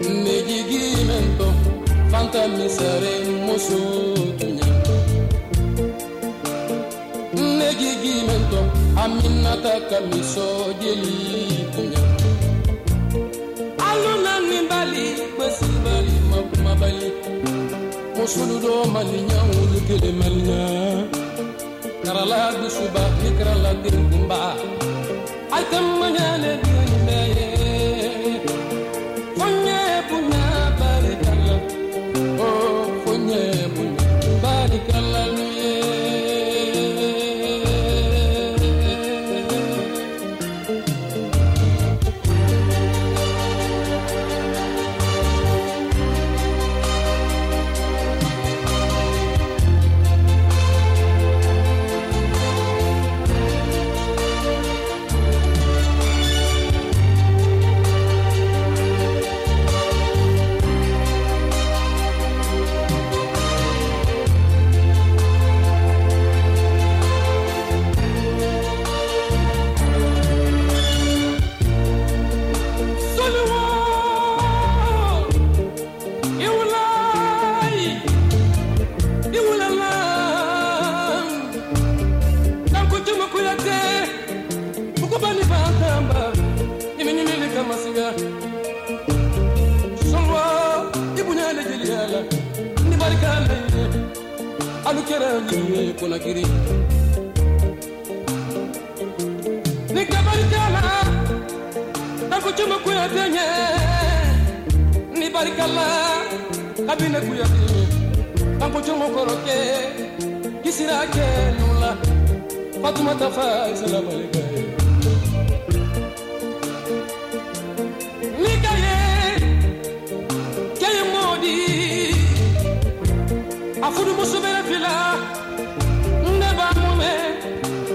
nejigi mento Fanta misere musu tunya Negigi mento Aminata kamiso jeli tunya Aluna nimbali kwesi bali makuma bali Musulu do malinya ulu kele malinya Karala dusuba ni karala denkumba Aitamanya le dinye Fonye punya barikalla Oh, fonye punya barikalla nuye. Ni kabarikala tanko cuma kuyate nye ni barikala kabine kuyate tanko cuma koroke kisira ke nula Fatumata fa salam alayka ni kaye kaye modi afudu musubere fila ndeba mume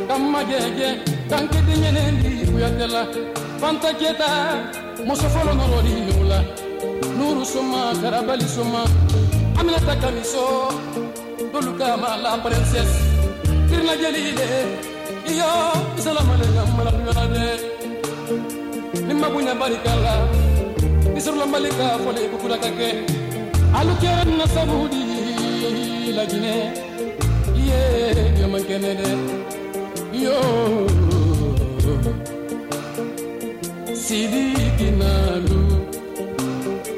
kamma jeje kankete ñenendi kuyatela Fanta Keta muso fɔlɔ nɔrɔli nula Nuru suma karabali suma Aminata Kamiso dolu kama la princesse Kirina jelile iyo isalamaleka malakuyola de ni mabunya barikala ni sɔrɔla malika fɔle kukula ka kɛ alu kɛra na sabudi Laginɛ iye yo man kɛnɛ dɛ yo Sidiki nalu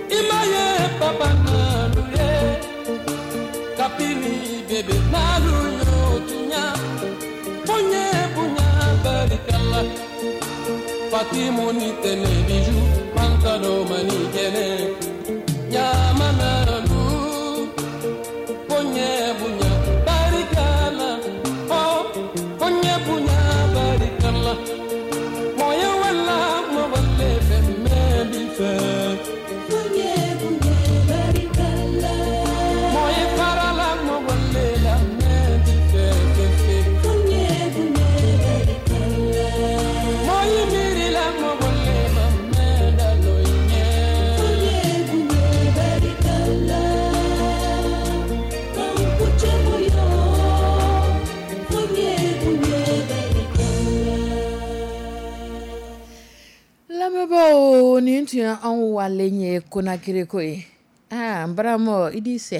imaye papa nalu ye kapini bebe nalu yo tunya ponye punya barikala Fatimu ni tene biju pantalo mani kene nyama nalu ponye punya barikala oh ponye punya barikala moye wala mo wale femme bife Ponye punya barikala moye farala mo wale la me bife fe fe Ponye punya barikala Nin tun ye anw walen ye Konakiri ko ye. Aa, n baramɔ i di sɛ,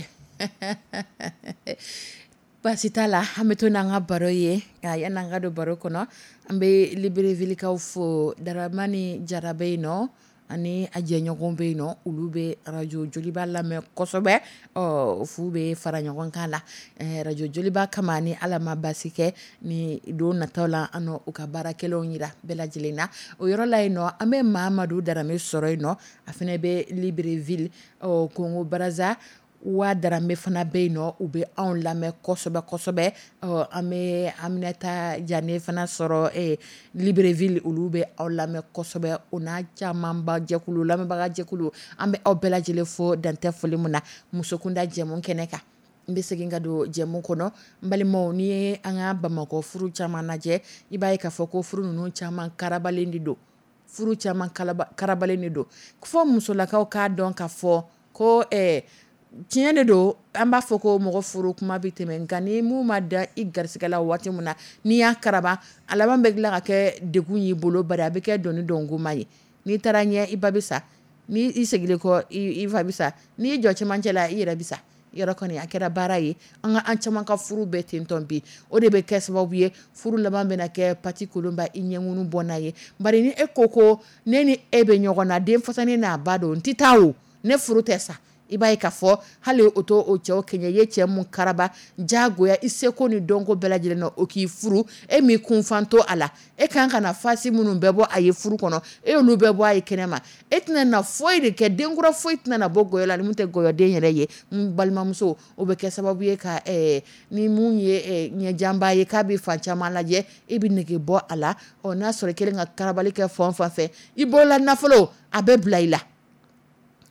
baasi t'a la. An bɛ to n'an ka baro ye nka yan'an ka don baro kɔnɔ, an bɛ Libreville fo. Daramani Jara bɛ yen nɔ ani a jɛɲɔgɔn bɛ yen nɔ, olu bɛ arajo Joliba lamɛn kosɛbɛ. Ɔ fu bɛ fara ɲɔgɔn kan la arajo Joliba kama. Ni Ala ma basi kɛ, ni don nataw la, an u ka baarakɛlaw jira bɛɛ lajɛlen na o yɔrɔ la yen nɔ. An bɛ Mamadu Darame sɔrɔ yen nɔ, a fana bɛ Libreville. Ɔ Kongo Brazza wa Darame fana bɛ yen nɔ, u bɛ anw lamɛn kosɛbɛ kosɛbɛ. Ɔ an bɛ Aminata Jane fana sɔrɔ Libreville, olu bɛ aw lamɛn kosɛbɛ, o n'a camanba jɛkulu, lamɛnbaga jɛkulu. An bɛ aw bɛɛ lajɛlen fo, dantɛ foli min na musokunda jɛmu kɛnɛ kan. N bɛ segin ka don jɛmu kɔnɔ. N balimaw, n'i ye an ka Bamakɔ furu caman lajɛ, i b'a ye k'a fɔ ko furu ninnu caman karabalen de don. Furu caman karabalen de don fo musolakaw k'a dɔn k'a fɔ ko tiɲɛ de don. An b'a fɔ ko mɔgɔ furu kuma bɛ tɛmɛ, nka ni mun ma da i garisɛgɛ la waati min na, n'i y'a karaba, a laban bɛ tila ka kɛ degun y'i bolo, bari a bɛ kɛ dɔnni dɔnkoma ye. N'i taara ɲɛ, i ba bɛ sa. Ni i seginnen kɔ, i fa bɛ sa. N'i y'i jɔ cɛmancɛ la, i yɛrɛ bɛ sa. Yɔrɔ kɔni a kɛra baara ye. An ka an caman ka furu bɛɛ ten bi, o de bɛ kɛ sababu ye, furu laban bɛna kɛ pati kolonba i ɲɛkun bɔ n'a ye. Bari ni e ko ko ne ni e bɛ ɲɔgɔn na, den fasanen n'a ba don, n tɛ taa o, ne furu tɛ sa, i b'a ye k'a fɔ hali o to o cɛw kɛɲɛ. I ye cɛ mun karaba jagoya i seko ni dɔnko bɛɛ lajɛlen na o k'i furu, e m'i kunfan to a la. E kan ka na fasi minnu bɛɛ bɔ a ye furu kɔnɔ, e y'olu bɛɛ bɔ a ye kɛnɛ ma. E tɛna na foyi de kɛ, denkura foyi tɛna na bɔ gɔyɔ la ni mun tɛ gɔyɔden yɛrɛ ye. N balimamuso, o bɛ kɛ sababu ye ka ni mun ye ɲɛjanba ye k'a bɛ fan caman lajɛ, e bɛ nege bɔ a la. Ɔ n'a sɔrɔ i kɛlen ka karabali kɛ fan o fan fɛ, i bolola nafolo a bɛ bila i la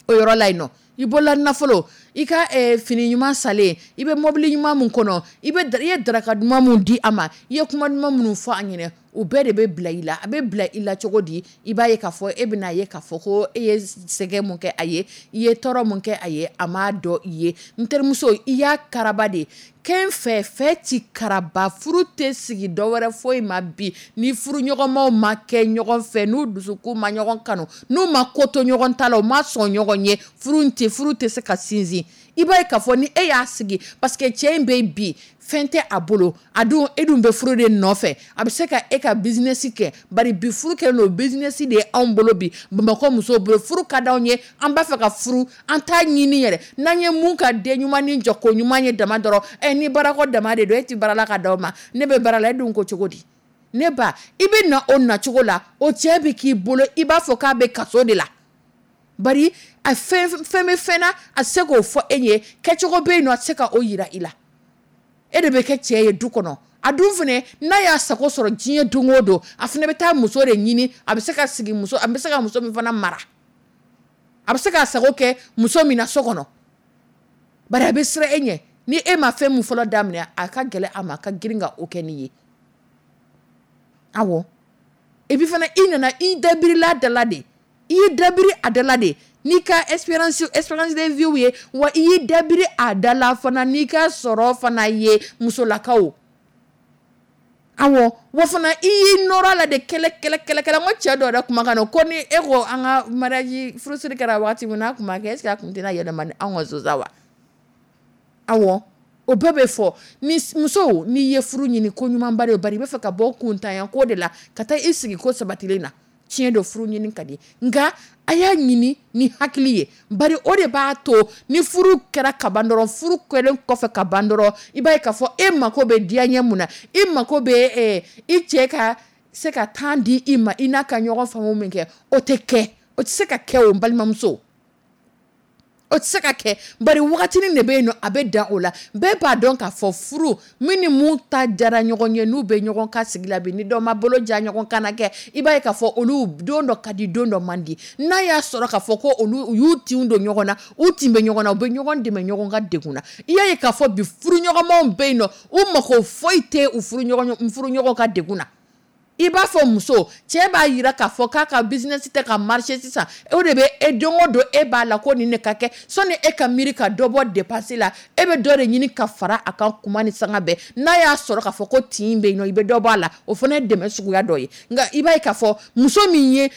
o yɔrɔ la yen nɔ. I bolola nafolo, i ka fini ɲuman salen, i bɛ mobili ɲuman mun kɔnɔ, i ye daraka duman mun di a ma, i ye kuma duman minnu fɔ a ɲɛna, o bɛɛ de bɛ bila i la. A bɛ bila i la cogo di? I b'a ye k'a fɔ e bɛna ye k'a fɔ ko e ye sɛgɛn mun kɛ a ye, i ye tɔɔrɔ mun kɛ a ye, a m'a dɔn i ye. N terimuso, i y'a karaba de kɛn fɛ. Fɛ ti karaba, furu tɛ sigi dɔwɛrɛ foyi ma bi ni furuɲɔgɔnmaw ma kɛ ɲɔgɔn fɛ, n'u dusukun ma ɲɔgɔn kanu, n'u ma ko to ɲɔgɔn ta la, u ma sɔn ɲɔgɔn ye, furu tɛ se ka sinsin. I b'a ye k'a fɔ ni e y'a sigi parce que cɛ in bɛ bi, fɛn tɛ a bolo, a dun e dun bɛ furu de nɔfɛ, a bɛ se ka e ka business kɛ. Bari bi furu kɛlen don business de ye anw bolo bi. Bamakɔ musow bolo, furu ka d'anw ye, an b'a fɛ ka furu, an t'a ɲini yɛrɛ. N'an ye mun ka den ɲuman ni jɔ ko ɲuman ye dama dɔrɔn ɛ, ni baarako dama de don, e tɛ baara la ka d'aw ma, ne bɛ baara la. E dun ko cogo di? Ne ba, i bɛ na o nacogo la, o cɛ bɛ k'i bolo i b'a fɔ k'a bɛ kaso de la. Bari a fɛn fɛn bɛ fɛn na, a tɛ se k'o fɔ e ye. Kɛcogo bɛ yen nɔ, a tɛ se ka o yira i la. E de bɛ kɛ cɛ ye du kɔnɔ. A dun fana, n'a y'a sago sɔrɔ diɲɛ don o don, a fana bɛ taa muso de ɲini, a bɛ se ka sigi muso, a bɛ se ka muso min fana mara, a bɛ se k'a sago kɛ muso min na so kɔnɔ. Bari a bɛ siran e ɲɛ. Ni e ma fɛn min fɔlɔ daminɛ, a ka gɛlɛn a ma a ka girin ka o kɛ n'i ye. Awɔ, et puis fana, i nana i dabirila da la de, i y'i dabiri a da la de n'i ka expérience de vie ye. Wa i y'i dabiri a da la fana n'i ka sɔrɔ fana ye, musolakaw. Awɔ, wa fana i y'i nɔrɔ a la de kɛlɛ kɛlɛ kɛlɛ kɛlɛ. N ko cɛ dɔ yɛrɛ kumakan don ko ni e ko an ka mariage furusiri kɛra waati min n'a tun ma kɛ, est ce que a tun tɛna yɛlɛma ni anw ka so sa wa? Awɔ, o bɛɛ bɛ fɔ. Ni muso, n'i ye furu ɲini, ko ɲumanba de. Bari i bɛ fɛ ka bɔ kuntanya ko de la ka taa i sigi ko sabatilen na. Tiɲɛ don, furu ɲini ka di, nka a y'a ɲini ni hakili ye. Bari o de b'a to ni furu kɛra ka ban dɔrɔn, furu kɛlen kɔfɛ ka ban dɔrɔn, i b'a ye k'a fɔ e mako bɛ diyaɲɛ mun na, i mako bɛ i cɛ ka se ka temps di i ma, i n'a ka ɲɔgɔn faamu min kɛ, o tɛ kɛ, o tɛ se ka kɛ o. N balimamuso, o tɛ se ka kɛ. Bari wagatinin de bɛ yen nɔ, a bɛ dan o la. Bɛɛ b'a dɔn k'a fɔ furu min ni mun ta diyara ɲɔgɔn ye, n'u bɛ ɲɔgɔn ka sigi la bi, ni dɔ ma bolo ja ɲɔgɔn kan na kɛ, i b'a ye k'a fɔ olu don dɔ ka di, don dɔ man di. N'a y'a sɔrɔ k'a fɔ ko olu u y'u tinw don ɲɔgɔn na, u tin bɛ ɲɔgɔn na, u bɛ ɲɔgɔn dɛmɛ ɲɔgɔn ka degun na. I y'a ye k'a fɔ bi furuɲɔgɔnmaw bɛ yen nɔ, u mako foyi tɛ u furuɲɔgɔn ka degun na. I b'a fɔ muso, cɛ b'a yira k'a fɔ k'a ka business tɛ ka marcher sisan, o de bɛ e don o don e b'a la ko nin de ka kɛ. Sɔnni e ka miiri ka dɔ bɔ dépense la, e bɛ dɔ de ɲini ka fara a kan kuma ni sanga bɛɛ. N'a y'a sɔrɔ k'a fɔ ko tin bɛ yen nɔ, i bɛ dɔ bɔ a la, o fana ye dɛmɛ suguya dɔ ye. Nka i b'a ye k'a fɔ muso min ye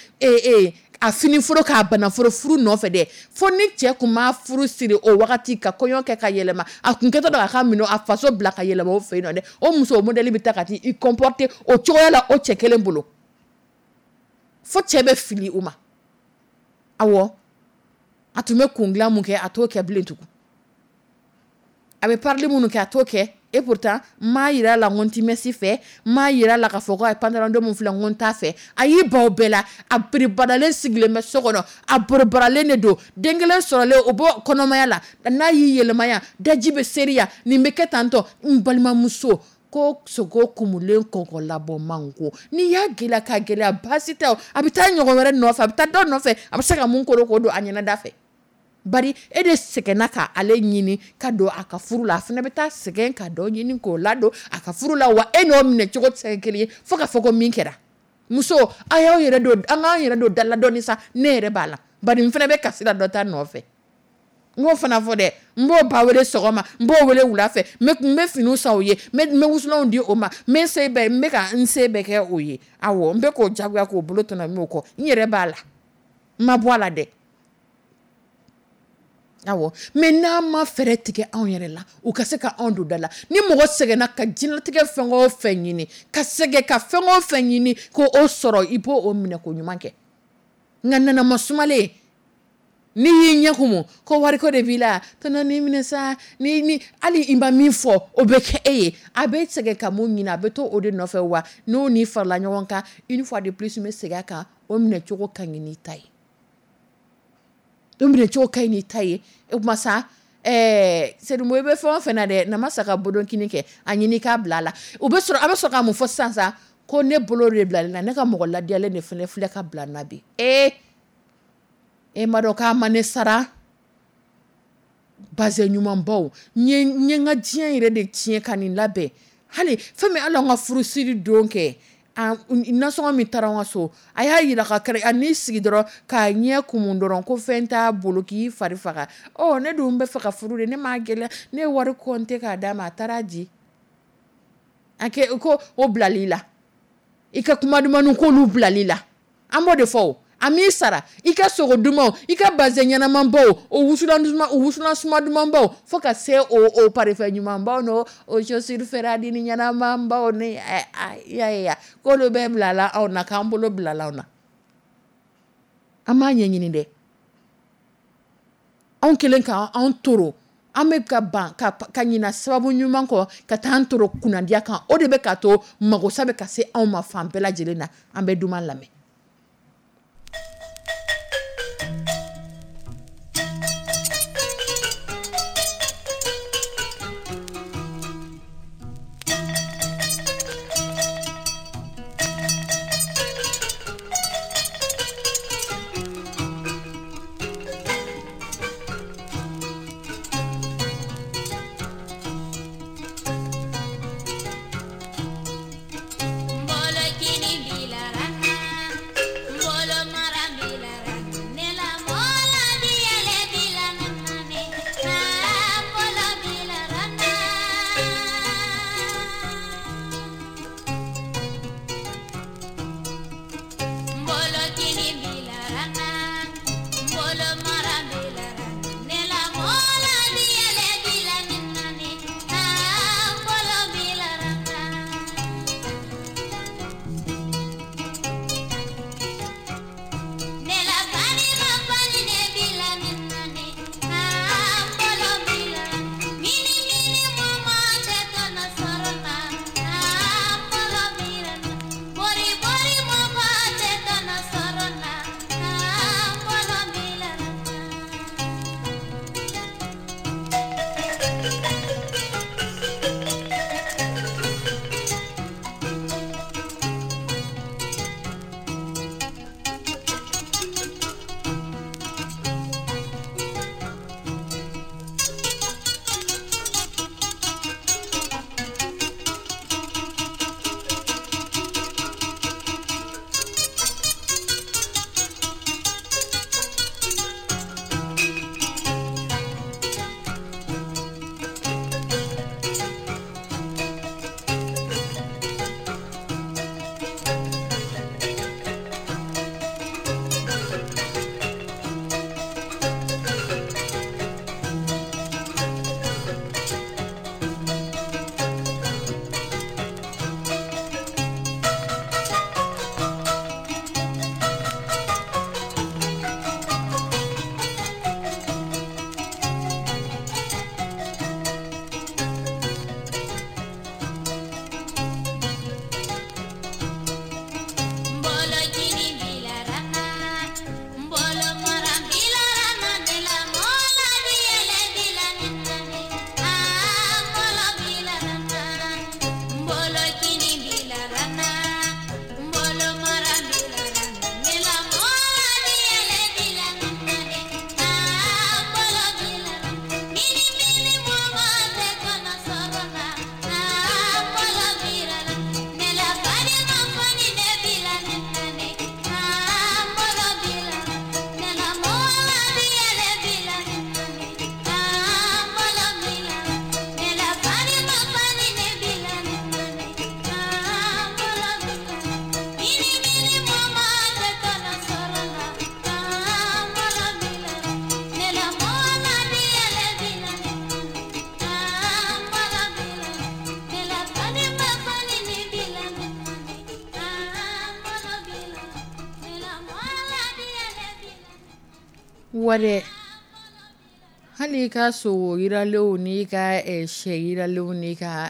a fini foro k'a banaforo furu nɔfɛ dɛ, fo ni cɛ kun ma furu siri o wagati ka kɔɲɔ kɛ ka yɛlɛma, a kun kɛtɔ dɔn a ka minɛ a faso bila ka yɛlɛma o fɛ yen nɔ dɛ, o muso modèle bɛ taa ka t'i comporter o cogoya la o cɛ kelen bolo, fo cɛ bɛ fili o ma. Awɔ, a tun bɛ kun dilan mun kɛ, a t'o kɛ bilen tugun, a bɛ parili minnu kɛ, a t'o kɛ. Et pourtant n m'a yira a la n ko n ti mèche fɛ, n m'a yira a la k'a fɔ ko a ye pantalon don mun filɛ n ko n t'a fɛ. A y'i ban o bɛɛ la, a biribaralen sigilen bɛ so kɔnɔ, a borobaralen de don, den kelen sɔrɔlen o b'o kɔnɔmaya la, n'a y'i yɛlɛma yan, daji bɛ seri yan, nin bɛ kɛ tantɔ. N balimamuso, ko sogo kumulen kɔkɔ labɔ man go, n'i y'a gɛlɛya k'a gɛlɛya, baasi tɛ o, a bɛ taa ɲɔgɔn wɛrɛ nɔfɛ, a bɛ taa dɔ nɔfɛ, a bɛ se ka mun koro k'o don a ɲɛnada fɛ. Bari e de sɛgɛnna ka ale ɲini ka don a ka furu la, a fana bɛ taa sɛgɛn ka dɔ ɲini k'o ladon a ka furu la, wa e n'o minɛ cogo tɛ se ka kɛ kelen ye fo ka fɔ ko min kɛra. Muso, a y'aw yɛrɛ don, an k'an yɛrɛ don da la dɔɔni sa, ne yɛrɛ b'a la, bari n fana bɛ kasi la dɔ ta nɔfɛ. N k'o fana fɔ dɛ, n b'o ba wele sɔgɔma, n b'o wele wula fɛ, n bɛ finiw san o ye, n bɛ wusulanw di o ma, n bɛ se bɛɛ, n bɛ ka n se bɛɛ kɛ o ye. Awɔ, n bɛ k'o jagoya k'o bolo tɔnɔmi o kɔ, n yɛrɛ b'a la, n ma bɔ a la dɛ. Awɔ, mais n'an ma fɛɛrɛ tigɛ anw yɛrɛ la, u ka se ka anw don da la. Ni mɔgɔ sɛgɛnna ka diɲɛlatigɛ fɛn o fɛn ɲini, ka sɛgɛn ka fɛn o fɛn ɲini k'o sɔrɔ, i b'o minɛ ko ɲuman kɛ. Nka nanama sumalen, n'i y'i ɲɛ kumu ko wariko de b'i la, tɔnɔ ni minɛ sa, ni hali i ma min fɔ o bɛ kɛ e ye. A bɛ sɛgɛn ka mun ɲini, a bɛ to o de nɔfɛ. Wa n'o ni farala ɲɔgɔn kan, une fois de plus n bɛ segin a kan, o minɛ cogo ka ɲi n'i ta ye. O minɛ cogo ka ɲi n'i ta ye. O tuma sa, Seydou, i bɛ fɛn o fɛn na dɛ, namasa ka bodonkini kɛ, a ɲini k'a bila a la. U bɛ sɔrɔ, a bɛ sɔrɔ ka mun fɔ sisan sa, ko ne bolo de bilalen na, ne ka mɔgɔ ladiyalen de fana filɛ ka bila n na bi. E ma dɔn k'a ma ne sara bazɛn ɲumanbaw, n ye n ka diɲɛ yɛrɛ de tiɲɛ ka nin labɛn. Hali fɛn min, hali an ka furusiri don kɛ, nasɔngɔ min taara an ka so, a y'a yira ka kɛrɛ, a n'i sigi dɔrɔn k'a ɲɛ kumu dɔrɔn ko fɛn t'a bolo k'i fari faga. Ɔ, ne dun bɛ fɛ ka furu de, ne m'a gɛlɛya, ne ye wari compter k'a d'a ma, a taara di. A kɛ ko o bilali la, i ka kuma dumanw k'olu bilali la, an b'o de fɔ o. A m'i sara i ka sogo dumanw, i ka bazɛn ɲɛnamanbaw, o wusulan duman, o wusulan suma dumanbaw, fo ka se o parifɛn ɲumanbaw n'o o chaussure Ferrari ni ɲɛnamanbaw ni ya ya, k'olu bɛɛ bilala anw na, k'an bolo bilala anw na. An m'a ɲɛɲini dɛ. Anw kɛlen k'an toro, an bɛ ka ban ka ɲina sababu ɲuman kɔ ka taa an toro kunnadiya kan. O de bɛ k'a to magosa bɛ ka se anw ma fan bɛɛ lajɛlen na. An bɛ duman lamɛn. Bolokini bilara. Wa dɛ, hali i ka sogo yiralenw n'i ka sɛ yiralenw n'i ka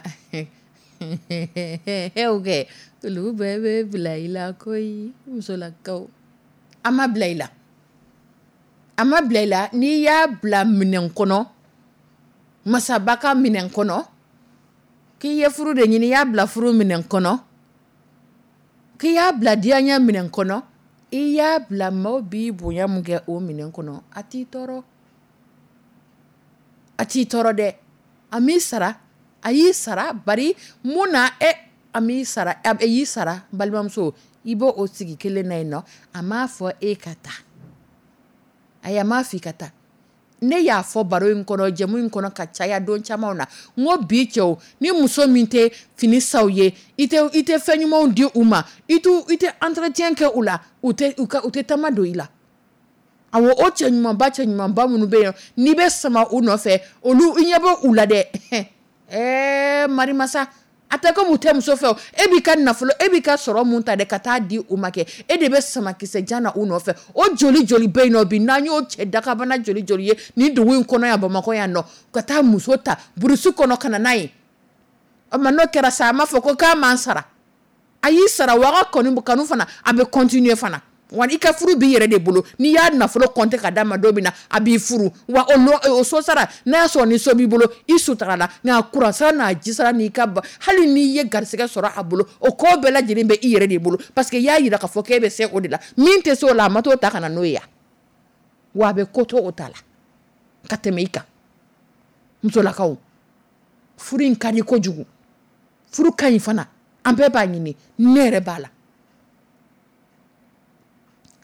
kɛ, olu bɛɛ bɛ bila i la koyi. Musolakaw, a ma bila i la, a ma bila i la. N'i y'a bila minɛn kɔnɔ, masaba ka minɛn kɔnɔ, k'i ye furu de ɲini, i y'a bila furu minɛn kɔnɔ, k'i y'a bila diyaɲɛ minɛn kɔnɔ, i y'a bila maaw b'i bonya mun kɛ o minɛn kɔnɔ, a t'i tɔɔrɔ, a t'i tɔɔrɔ dɛ. A m'i sara, a y'i sara. Bari mun na e a m'i sara, a y'i sara. Balimamuso, i b'o o sigi kelen na yen nɔ. A m'a fɔ e ka taa, ayi, a m'a fɔ i ka taa. Ne y'a fɔ baro in kɔnɔ, jɛmu in kɔnɔ ka caya don caman na, n ko bi cɛw, ni muso min tɛ fini san u ye, i tɛ fɛn ɲumanw di u ma, i tɛ entretien kɛ u la, u tɛ taama don i la. Awɔ, o cɛ ɲumanba, cɛ ɲumanba minnu bɛ yen, n'i bɛ sama u nɔfɛ, olu i ɲɛ bɛ u la dɛ. Marimasa, a tɛ komi u tɛ muso fɛ. E b'i ka nafolo, e b'i ka sɔrɔ mun ta dɛ ka taa di u ma kɛ, e de bɛ samakisɛ jan na u nɔfɛ. O joli joli bɛ yen nɔ bi, n'an y'o cɛ dakabana joli joli ye nin dugu in kɔnɔ yan, Bamakɔ yan nɔ, ka taa muso ta burusi kɔnɔ ka na n'a ye. O tuma n'o kɛra sa, a m'a fɔ ko k'a m'an sara. A y'i sara wa, a ka kanu fana, a bɛ continuer fana. Wa i ka furu b'i yɛrɛ de bolo. N'i y'a nafolo compter ka d'a ma don min na, a b'i furu. Wa o so sara, n'a y'a sɔrɔ ni so b'i bolo, i sutura la. Nka courant sara n'a ji sara n'i ka ba, hali n'i ye garisɛgɛ sɔrɔ a bolo, o ko bɛɛ lajɛlen bɛ i yɛrɛ de bolo, parce que i y'a jira k'a fɔ k'e bɛ se o de la. Min tɛ se o la, a ma t'o ta ka na n'o ye yan. Wa a bɛ ko to o ta la ka tɛmɛ i kan. Musolakaw, furu in ka di kojugu, furu ka ɲi fana, an bɛɛ b'a ɲini, ne yɛrɛ b'a la.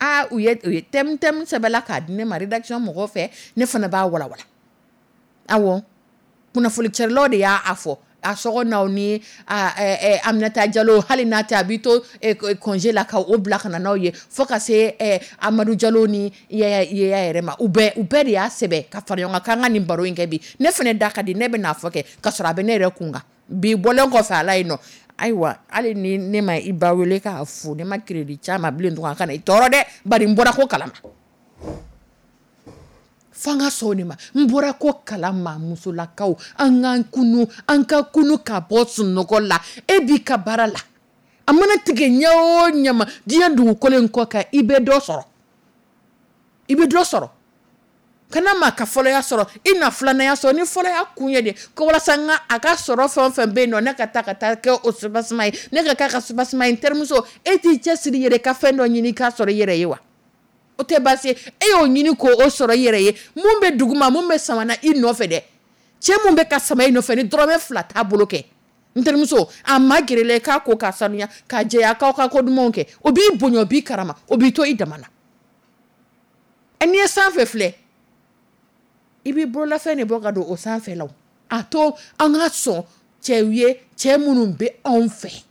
Aa, u ye thème sɛbɛnla k'a di ne ma rédaction mɔgɔw fɛ, ne fana b'a walawala. Awɔ, kunnafoni carilaw de y'a fɔ a sɔgɔnaw ni Aminata Jalo, hali n'a tɛ, a b'i to congé la ka o bila ka na n'aw ye, fo ka se Amadu Jalo ni Yaya yɛrɛ ma. U bɛɛ de y'a sɛbɛn ka fara ɲɔgɔn kan k'an ka nin baro in kɛ bi. Ne fana da ka di, ne bɛ n'a fɔ kɛ ka sɔrɔ a bɛ ne yɛrɛ kun kan bi. Bɔlen kɔfɛ a la yen nɔ, ayiwa, hali ni ne ma i ba wele k'a fo, ne ma crédit caman bilen tun, a kana i tɔɔrɔ dɛ, bari n bɔra ko kalama. F'an ka sɔn o de ma. N bɔra ko kalama. Musolakaw, an k'an kunu, an ka kunu ka bɔ sunɔgɔ la. E b'i ka baara la, a mana tigɛ ɲɛ o ɲɛ ma diɲɛ dugukolo in kɔ kan, i bɛ dɔ sɔrɔ, i bɛ dɔ sɔrɔ. Kana maa ka fɔlɔya sɔrɔ, i na filananya sɔrɔ. Ni fɔlɔya kun ye de ko walasa n ka a ka sɔrɔ fɛn o fɛn bɛ yen nɔ, ne ka taa ka taa kɛ o soubassement ye, ne ka k'a ka soubassement ye. N terimuso, e t'i cɛsiri yɛrɛ ka fɛn dɔ ɲini k'a sɔrɔ i yɛrɛ ye wa? O tɛ baasi ye. E y'o ɲini k'o sɔrɔ i yɛrɛ ye, mun bɛ duguma, mun bɛ sama na i nɔfɛ dɛ, cɛ mun bɛ ka sama i nɔfɛ ni dɔrɔmɛ 2 t'a bolo kɛ, n terimuso, a ma gɛrɛla i k'a ko k'a sanuya k'a jɛya, k'aw ka ko dumanw kɛ, o b'i bonya, o b'i karama, o b'i to i dama na. N'i ye sanfɛ filɛ, i b'i bololafɛn de bɔ ka don o sanfɛ la. A to an ka sɔn cɛw ye, cɛ minnu bɛ anw fɛ.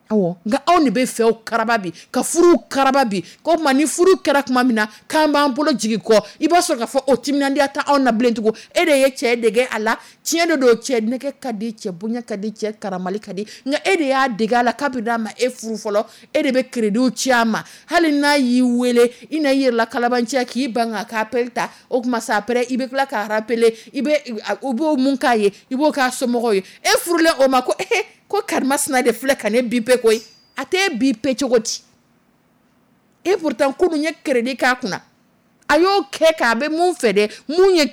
Awɔ, nka anw de bɛ fɛw karaba bi, ka furuw karaba bi. Ko tuma ni furu kɛra tuma min na k'an b'an bolo jigin kɔ, i b'a sɔrɔ k'a fɔ o timinandiya tɛ anw na bilen tugun. E de ye cɛ dege a la, tiɲɛ de don, cɛ nɛgɛ ka di, cɛ bonya ka di, cɛ karamali ka di, nka e de y'a dege a la kabini a ma e furu fɔlɔ. E de bɛ crédit ci a ma, hali n'a y'i wele, i na i yɛrɛ la kalabanciya k'i ban k'a ka appel ta. O tuma sa après i bɛ tila k'a rappeler, i bɛ u b'o mun k'a ye, i b'o k'a somɔgɔw ye. E furulen o ma ko ko karimasina de filɛ ka ne bipe koyi. A t'e bipe cogo di? Et pourtant kunun ye crédit k'a kunna, a y'o kɛ k'a bɛ mun fɛ dɛ,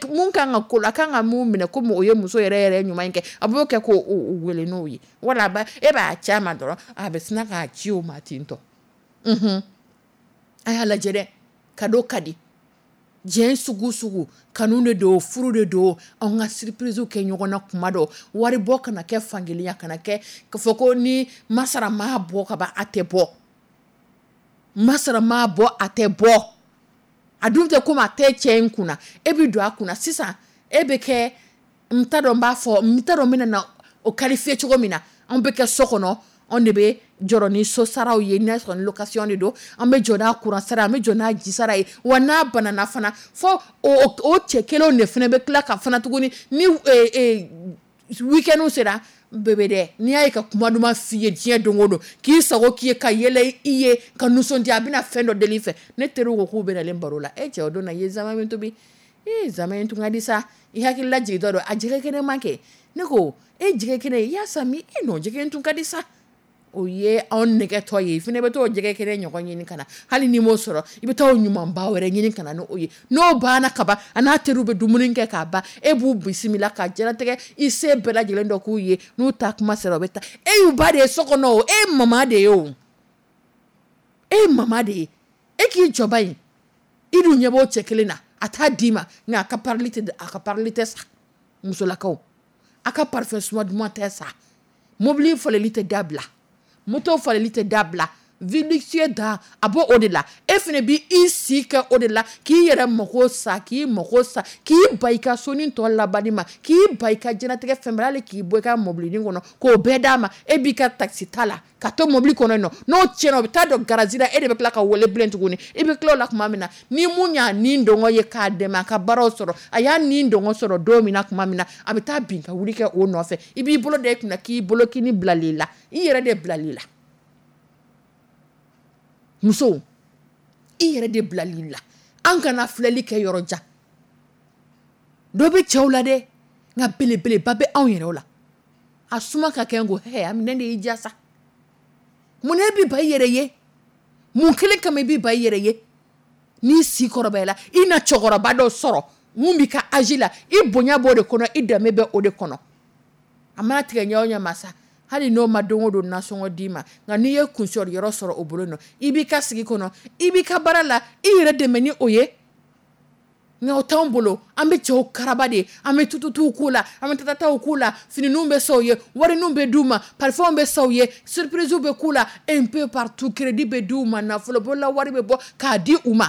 mun kan ka ko la, a kan ka mun minɛ komi o ye muso yɛrɛ yɛrɛ ɲuman kɛ, a b'o kɛ k'o wele n'o ye. Wala e b'a ci a ma dɔrɔn, a bɛ sina k'a ci o ma ten tɔ. A y'a lajɛ dɛ, cadeau ka di diɲɛ sugu sugu, kanu de don, furu de don. Anw ka surprise kɛ ɲɔgɔn na kuma dɔ, wari bɔ kana kɛ fankelenya, kana kɛ k'a fɔ ko ni masara m'a bɔ ka ban a tɛ bɔ, masara m'a bɔ a tɛ bɔ. A dun tɛ komi a tɛ cɛ in kunna, e bɛ don a kunna sisan, e bɛ kɛ, n t'a dɔn n b'a fɔ, n t'a dɔn n bɛna na o qualifier cogo min na. Anw bɛ kɛ so kɔnɔ, anw de bɛ jɔrɔ ni so saraw ye, n'a sɔrɔ ni location de don, an bɛ jɔ n'a courant sara, an bɛ jɔ n'a ji sara ye. Wa n'a banana fana, fo o cɛ kelenw de fana bɛ tila ka fana tuguni ni week-end sera, Bébé dɛ, n'i y'a ye ka kuma duman f'i ye diɲɛ don o don, k'i sago k'i ye, ka yɛlɛ i ye, ka nisɔndiya, a bɛna fɛn dɔ deli i fɛ. Ne teriw ko k'u bɛ nalen baro la. E cɛ, o don na i ye zama min tobi, ee, zama in tun ka di sa. I hakili lajigintɔ don a jɛgɛ kɛnɛ man kɛ. Ne ko e, jɛgɛ kɛnɛ i y'a san min? E non, jɛgɛ in tun ka di sa. O ye anw nɛgɛtɔ ye. I fana bɛ t'o jɛgɛ kɛnɛ ɲɔgɔn ɲini ka na. Hali n'i m'o sɔrɔ, i bɛ taa o ɲumanba wɛrɛ ɲini ka na n'o ye. N'o banna ka ban, a n'a teriw bɛ dumuni kɛ k'a ban, e b'u bisimila ka diɲɛlatigɛ i se bɛɛ lajɛlen dɔ k'u ye. N'u taa kuma sera, u bɛ taa. E y'u ba de ye so kɔnɔ o, e ye mama de ye o, e ye mama de ye. E k'i jɔba in, i dun ɲɛ b'o cɛ kelen na, a t'a d'i ma, nka a ka parili tɛ, a ka parili tɛ sa. Musolakaw, a ka parfum suma duman tɛ sa, mobili faleli tɛ dabila, moto faleli tɛ dabila, vie luxueuse dan a b'o o de la. E fana b'i si kɛ o de la, k'i yɛrɛ mako sa, k'i mako sa, k'i ba i ka soni tɔ labanni ma, k'i ba i ka diɲɛlatigɛ fɛn bɛɛ la, hali k'i bɔ i ka mobilinin kɔnɔ k'o bɛɛ d'a ma. E b'i ka taxi ta la ka to mobili kɔnɔ yen nɔ, n'o tiɲɛna, o bɛ taa don garage la, e de bɛ tila ka wele bilen tuguni. I bɛ tila o la tuma min na, ni mun y'a ni dɔngɔ ye k'a dɛmɛ a ka baaraw sɔrɔ, a y'a ni dɔngɔ sɔrɔ don min na tuma min na, a bɛ taa bin ka wuli kɛ o nɔfɛ. I b'i bolo da i kunna k'i bolo kini bilali la, i yɛrɛ de bilali la. Musow, i yɛrɛ de bilali la. An kana filɛli kɛ yɔrɔ jan. Dɔ bɛ cɛw la dɛ, nka belebeleba bɛ anw yɛrɛ la. A suma ka kɛ n ko hɛ, a minɛ de y'i diya sa. Mun e bɛ ba i yɛrɛ ye? Mun kelen kama i bɛ ba i yɛrɛ ye? N'i si kɔrɔbayala, i na cɛkɔrɔba dɔ sɔrɔ mun b'i ka âge la, i bonya b'o de kɔnɔ, i danbe bɛ o de kɔnɔ. A mana tigɛ ɲɛ o ɲɛ ma sa, hali n'o ma don o don nasɔngɔ d'i ma, nka n'i ye kunsɔrɔ yɔrɔ sɔrɔ o bolo nɔ, i b'i ka sigi kɔnɔ, i b'i ka baara la, i yɛrɛ dɛmɛ ni o ye. Nka o t'anw bolo, an bɛ cɛw karaba de, an bɛ tututuw k'u la, an bɛ tatataw k'u la, finininw bɛ san u ye, wariniw bɛ d'u ma, parfumw bɛ san u ye, surprisew bɛ k'u la, un peu partout, crédit bɛ d'u ma, nafolo bolola wari bɛ bɔ k'a di u ma,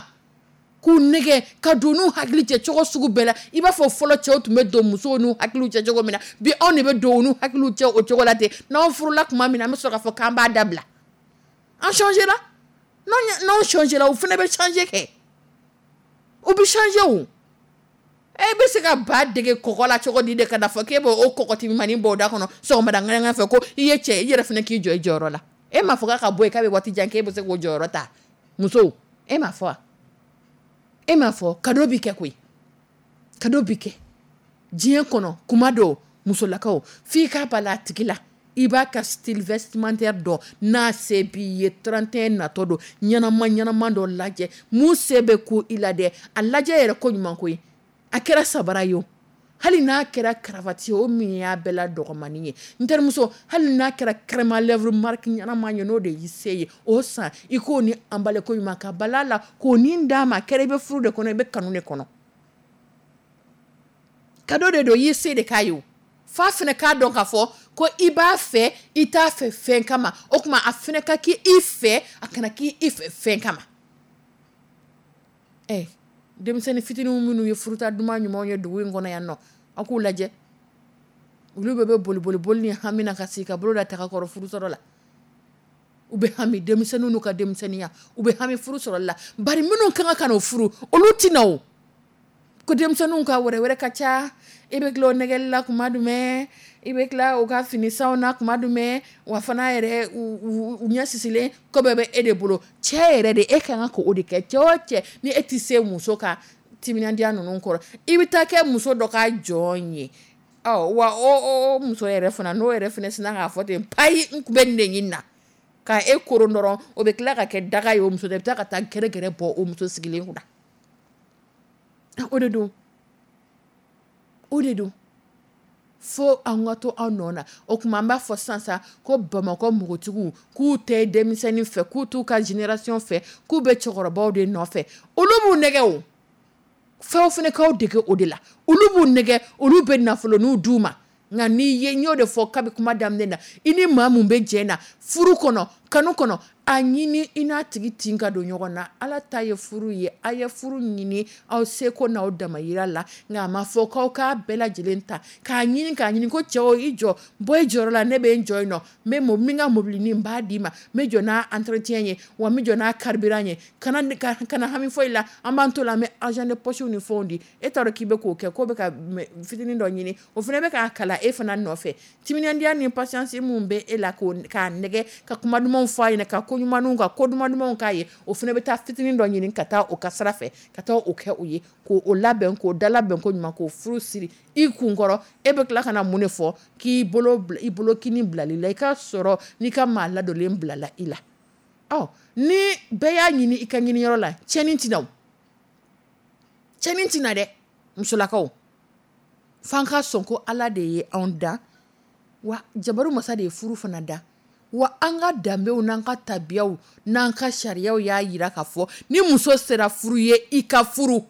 k'u nɛgɛ ka don n'u hakili cɛ cogo sugu bɛɛ la. I b'a fɔ fɔlɔ cɛw tun bɛ don musow n'u hakiliw cɛ cogo min na, bi anw de bɛ don u n'u hakiliw cɛ o cogo la ten. N'anw furula tuma min na, an bɛ sɔrɔ k'a fɔ k'an b'a dabila. An changera, n'anw changera, u fana bɛ changer kɛ, u bɛ changer o. E bɛ se ka ba dege kɔgɔ la cogo di de ka na fɔ k'e b'o kɔgɔtimimanin bɔ o da kɔnɔ sɔgɔmada ŋaɲa fɛ ko i ye cɛ, i yɛrɛ fana k'i jɔ i jɔyɔrɔ la? E m'a fɔ k'a ka bɔ yen k'a bɛ waati jan k'e bɛ se k'o jɔyɔrɔ ta? Musow, e m'a fɔ wa? E m'a fɔ cadeau bi kɛ koyi, cadeau bi kɛ diɲɛ kɔnɔ. Kuma dɔw, musolakaw, f'i k'a bala a tigi la, i b'a ka style vestimentaire dɔn. N'a se b'i ye, 31 natɔ don, ɲɛnama ɲɛnama dɔ lajɛ mun se bɛ ko i la dɛ. A lajɛ yɛrɛ ko ɲuman koyi. A kɛra sabara ye o, hali n'a kɛra cravate ye o, min y'a bɛɛ la dɔgɔmanin ye, n terimuso, hali n'a kɛra crème à lèvres marque ɲɛnama ye, n'o de y'i se ye, o san, i k'o ni emballé ko ɲuman ka bala la k'o ni d'a ma. A kɛra i bɛ furu de kɔnɔ, i bɛ kanu de kɔnɔ, cadeau de don, i y'i se de k'a ye o. F'a fana k'a dɔn k'a fɔ ko i b'a fɛ, i t'a fɛ fɛn kama. O tuma a fana ka k'i fɛ, a kana k'i fɛ fɛn kama. Ɛ denmisɛnnin fitininw minnu ye furuta duman ɲumanw ye dugu in kɔnɔ yan nɔ, aw k'u lajɛ, olu bɛɛ bɛ boli boli boli ni hami na ka sigi ka bolo da taga kɔrɔ furu sɔrɔ la. U bɛ hami, denmisɛnninw n'u ka denmisɛnninya, u bɛ hami furu sɔrɔ la. Bari minnu kan ka n'o furu, olu tɛ na o. Ko denmisɛnninw ka wɛrɛ wɛrɛ ka ca, i bɛ tila o nɛgɛli la kuma jumɛn, i bɛ tila u ka fini sanw na kuma jumɛn, wa fana yɛrɛ u ɲɛ sisilen ko bɛɛ bɛ e de bolo. Cɛ yɛrɛ de, e ka kan k'o de kɛ. Cɛ o cɛ, ni e tɛ se muso ka timinandiya ninnu kɔrɔ, i bɛ taa kɛ muso dɔ ka jɔn ye. Ɔ wa o muso yɛrɛ fana, n'o yɛrɛ fana sinna k'a fɔ ten payi, n tun bɛ nin de ɲini na ka e koron dɔrɔn, o bɛ tila ka kɛ daga ye. O muso de bɛ taa ka taa gɛrɛgɛrɛ bɔ o muso sigilen kunna. O de don, o de don. Fo an ka to an nɔ na. O tuma an b'a fɔ sisan sa ko Bamakɔ npogotigiw k'u tɛ denmisɛnnin fɛ, k'u t'u ka génération fɛ, k'u bɛ cɛkɔrɔbaw de nɔfɛ. Olu b'u nɛgɛ o, fɛn fana k'aw dege o de la. Olu b'u nɛgɛ, olu bɛ nafoloninw d'u ma. Nka n'i ye, n y'o de fɔ kabi kuma daminɛ na, i ni maa mun bɛ jɛ na furu kɔnɔ, Kanu kɔnɔ, a ɲini i n'a tigi tin ka don ɲɔgɔn na. Ala ta ye furu ye, a ye furu ɲini aw seko n'aw damayira la, nka a ma fɔ k'aw k'a bɛɛ lajɛlen ta k'a ɲini k'a ɲini ko cɛw i jɔ, bɔ i jɔyɔrɔ la, ne bɛ n jɔ yen nɔ, n bɛ n ka mobilinin n b'a d'i ma, n bɛ jɔ n'a entretien ye, wa n bɛ jɔ n'a carburant ye, kana kana hami foyi la, an b'an to la, an bɛ argent de poche ni fɛnw di. E t'a dɔn k'i bɛ k'o kɛ, k'o bɛ ka fitinin dɔ ɲini, o fana bɛ k'a kala e fana nɔfɛ. Timinandiya ni patience mun bɛ e la k'a nɛgɛ ka kuma dumanw fɔ a ɲɛna, ka ko ɲumanw ka ko duman dumanw k'a ye, o fana bɛ taa fitinin dɔ ɲini ka taa o ka sira fɛ, ka taa o kɛ o ye, k'o labɛn, k'o dalabɛn ko ɲuman, k'o furu siri i kunkɔrɔ. E bɛ tila ka na mun de fɔ? K'i bolo i bolo kini bilali la, i ka sɔrɔ n'i ka maa ladonlen bilala i la. Ɔ ni bɛɛ y'a ɲini i ka ɲiniyɔrɔ la, tiɲɛni tɛna o, tiɲɛni tɛna dɛ. Musolakaw, f'an ka sɔn ko Ala de ye anw da, wa jabaru masa de ye furu fana da, wa an ka danbew n'an ka tabiyaw n'an ka sariyaw y'a jira k'a fɔ ni muso sera furu ye, i ka furu.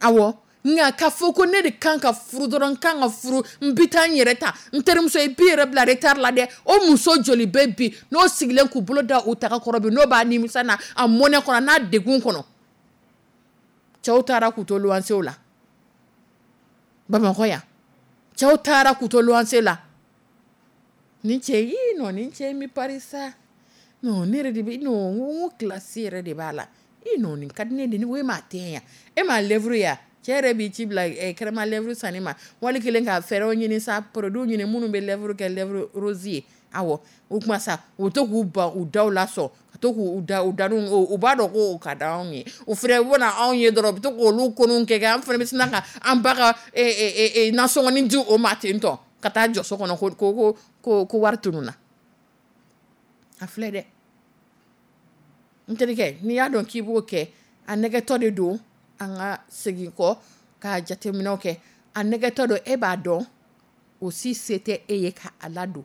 Awɔ, nka k'a fɔ ko ne de kan ka furu dɔrɔn, n kan ka furu, n bɛ taa n yɛrɛ ta, n terimuso i b'i yɛrɛ bila retard la dɛ. O muso joli bɛ bi n'o sigilen k'u bolo da u taga kɔrɔ bi, n'o b'a nimisa na a mɔnɛ kɔnɔ n'a degun kɔnɔ. Cɛw taara k'u to luwansew la Bamakɔ yan, cɛw taara k'u to luwanse la. Nin cɛ ii non, nin cɛ in bɛ pari sa, non ne yɛrɛ de bɛ non, n ko classe yɛrɛ de b'a la, ii non nin ka di ne de ye, e m'a teint ye, e m'a lèvre ye, cɛ yɛrɛ b'i ci bila crème à lèvre sanni ma, wali kelen ka fɛɛrɛw ɲini sa, produit ɲini minnu bɛ lèvre kɛ lèvre rose ye. Awɔ, o kuma sa, u to k'u ban u daw la sɔn, ka to k'u da u da u b'a dɔn ko o ka d'anw ye, u fana bɛna anw ye dɔrɔn, u bɛ to k'olu koniw kɛ, an fana bɛ sina ka an ba ka nasɔngɔnin di o ma ten tɔ, ka taa jɔ so kɔnɔ ko ko ko ko wari tununna. A filɛ dɛ, n terikɛ, n'i y'a dɔn k'i b'o kɛ, a nɛgɛtɔ de don. An ka segin kɔ ka jateminɛw kɛ. A nɛgɛtɔ don, e b'a dɔn o si se tɛ e ye ka a ladon,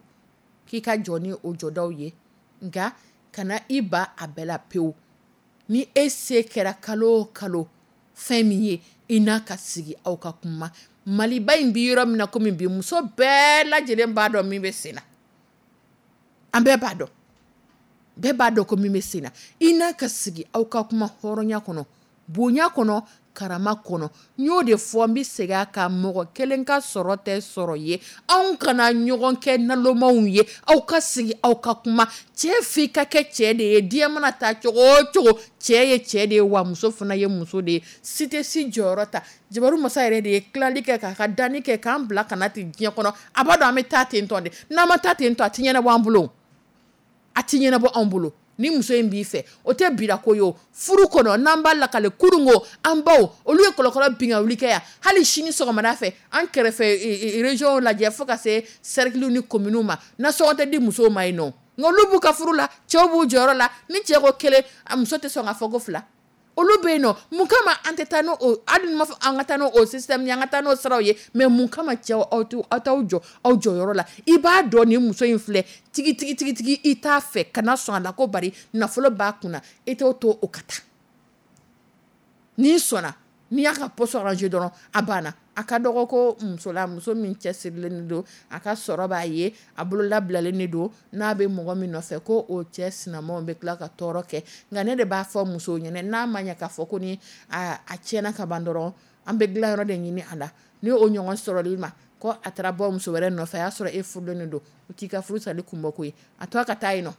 k'i ka jɔ ni o jɔdaw ye, nka kana i ba a bɛɛ la pewu. Ni e se kɛra kalo o kalo fɛn min ye, i n'a ka sigi aw ka kuma. Maliba in bi yɔrɔ min na komi bi, muso bɛɛ lajɛlen b'a dɔn min bɛ sen na, an bɛɛ b'a dɔn, bɛɛ b'a dɔn ko min bɛ sen na. I n'a ka sigi aw ka kuma hɔrɔnya kɔnɔ, bonya kɔnɔ, karama kɔnɔ. N y'o de fɔ, n bɛ segin a kan, mɔgɔ kelen ka sɔrɔ tɛ sɔrɔ ye. Anw kana ɲɔgɔn kɛ nalomaw ye, aw ka sigi aw ka kuma. Cɛ f'i ka kɛ cɛ de ye, diɲɛ mana taa cogo o cogo, cɛ ye cɛ de ye, wa muso fana ye muso de ye. Si tɛ si jɔyɔrɔ ta. Jabaru masa yɛrɛ de ye tilali kɛ k'a ka danni kɛ k'an bila ka na ten diɲɛ kɔnɔ. A b'a dɔn an bɛ taa ten tɔ de, n'an ma taa ten tɔ, a tɛ ɲɛnabɔ an bolo, a tɛ ɲɛnabɔ anw bolo. Ni muso in b'i fɛ, o tɛ birako ye o. Furu kɔnɔ, n'an b'a lakale kununko, an baw olu ye kɔlɔkɔlɔ bin ka wuli kɛ yan. Hali sini sɔgɔmada fɛ, an kɛrɛfɛ région lajɛ fo ka se cercle ni commune ma, nasɔngɔ tɛ di musow ma yen nɔ. Nka olu b'u ka furu la, cɛw b'u jɔyɔrɔ la. Ni cɛ ko kelen, a muso tɛ sɔn k'a fɔ ko fila. Olu bɛ yen nɔ, mun kama an tɛ taa n'o, hali ni ma fɔ an ka taa n'o système ye, an ka taa n'o siraw ye, mais mun kama cɛw aw t'aw jɔ aw jɔyɔrɔ la? I b'a dɔn nin muso in filɛ tigi tigi tigi tigi, i t'a fɛ, kana sɔn a la ko bari nafolo b'a kunna, i t'o to o ka taa. N'i sɔnna, n'i y'a ka poste arranger dɔrɔn, a banna. A ka dɔgɔ ko muso la, muso min cɛsirilen don, a ka sɔrɔ b'a ye, a bolo labilalen de don, n'a bɛ mɔgɔ min nɔfɛ ko o cɛ sinamaw bɛ tila ka tɔɔrɔ kɛ. Nka ne de b'a fɔ musow ɲɛna, n'a ma ɲɛ k'a fɔ ko ni a tiɲɛna ka ban dɔrɔn, an bɛ dilan yɔrɔ de ɲini a la. Ni o ɲɔgɔn sɔrɔli ma ko a taara bɔ muso wɛrɛ nɔfɛ, a y'a sɔrɔ e furulen don, o t'i ka furu sali kun bɔ ko ye. A to a ka taa yen nɔ,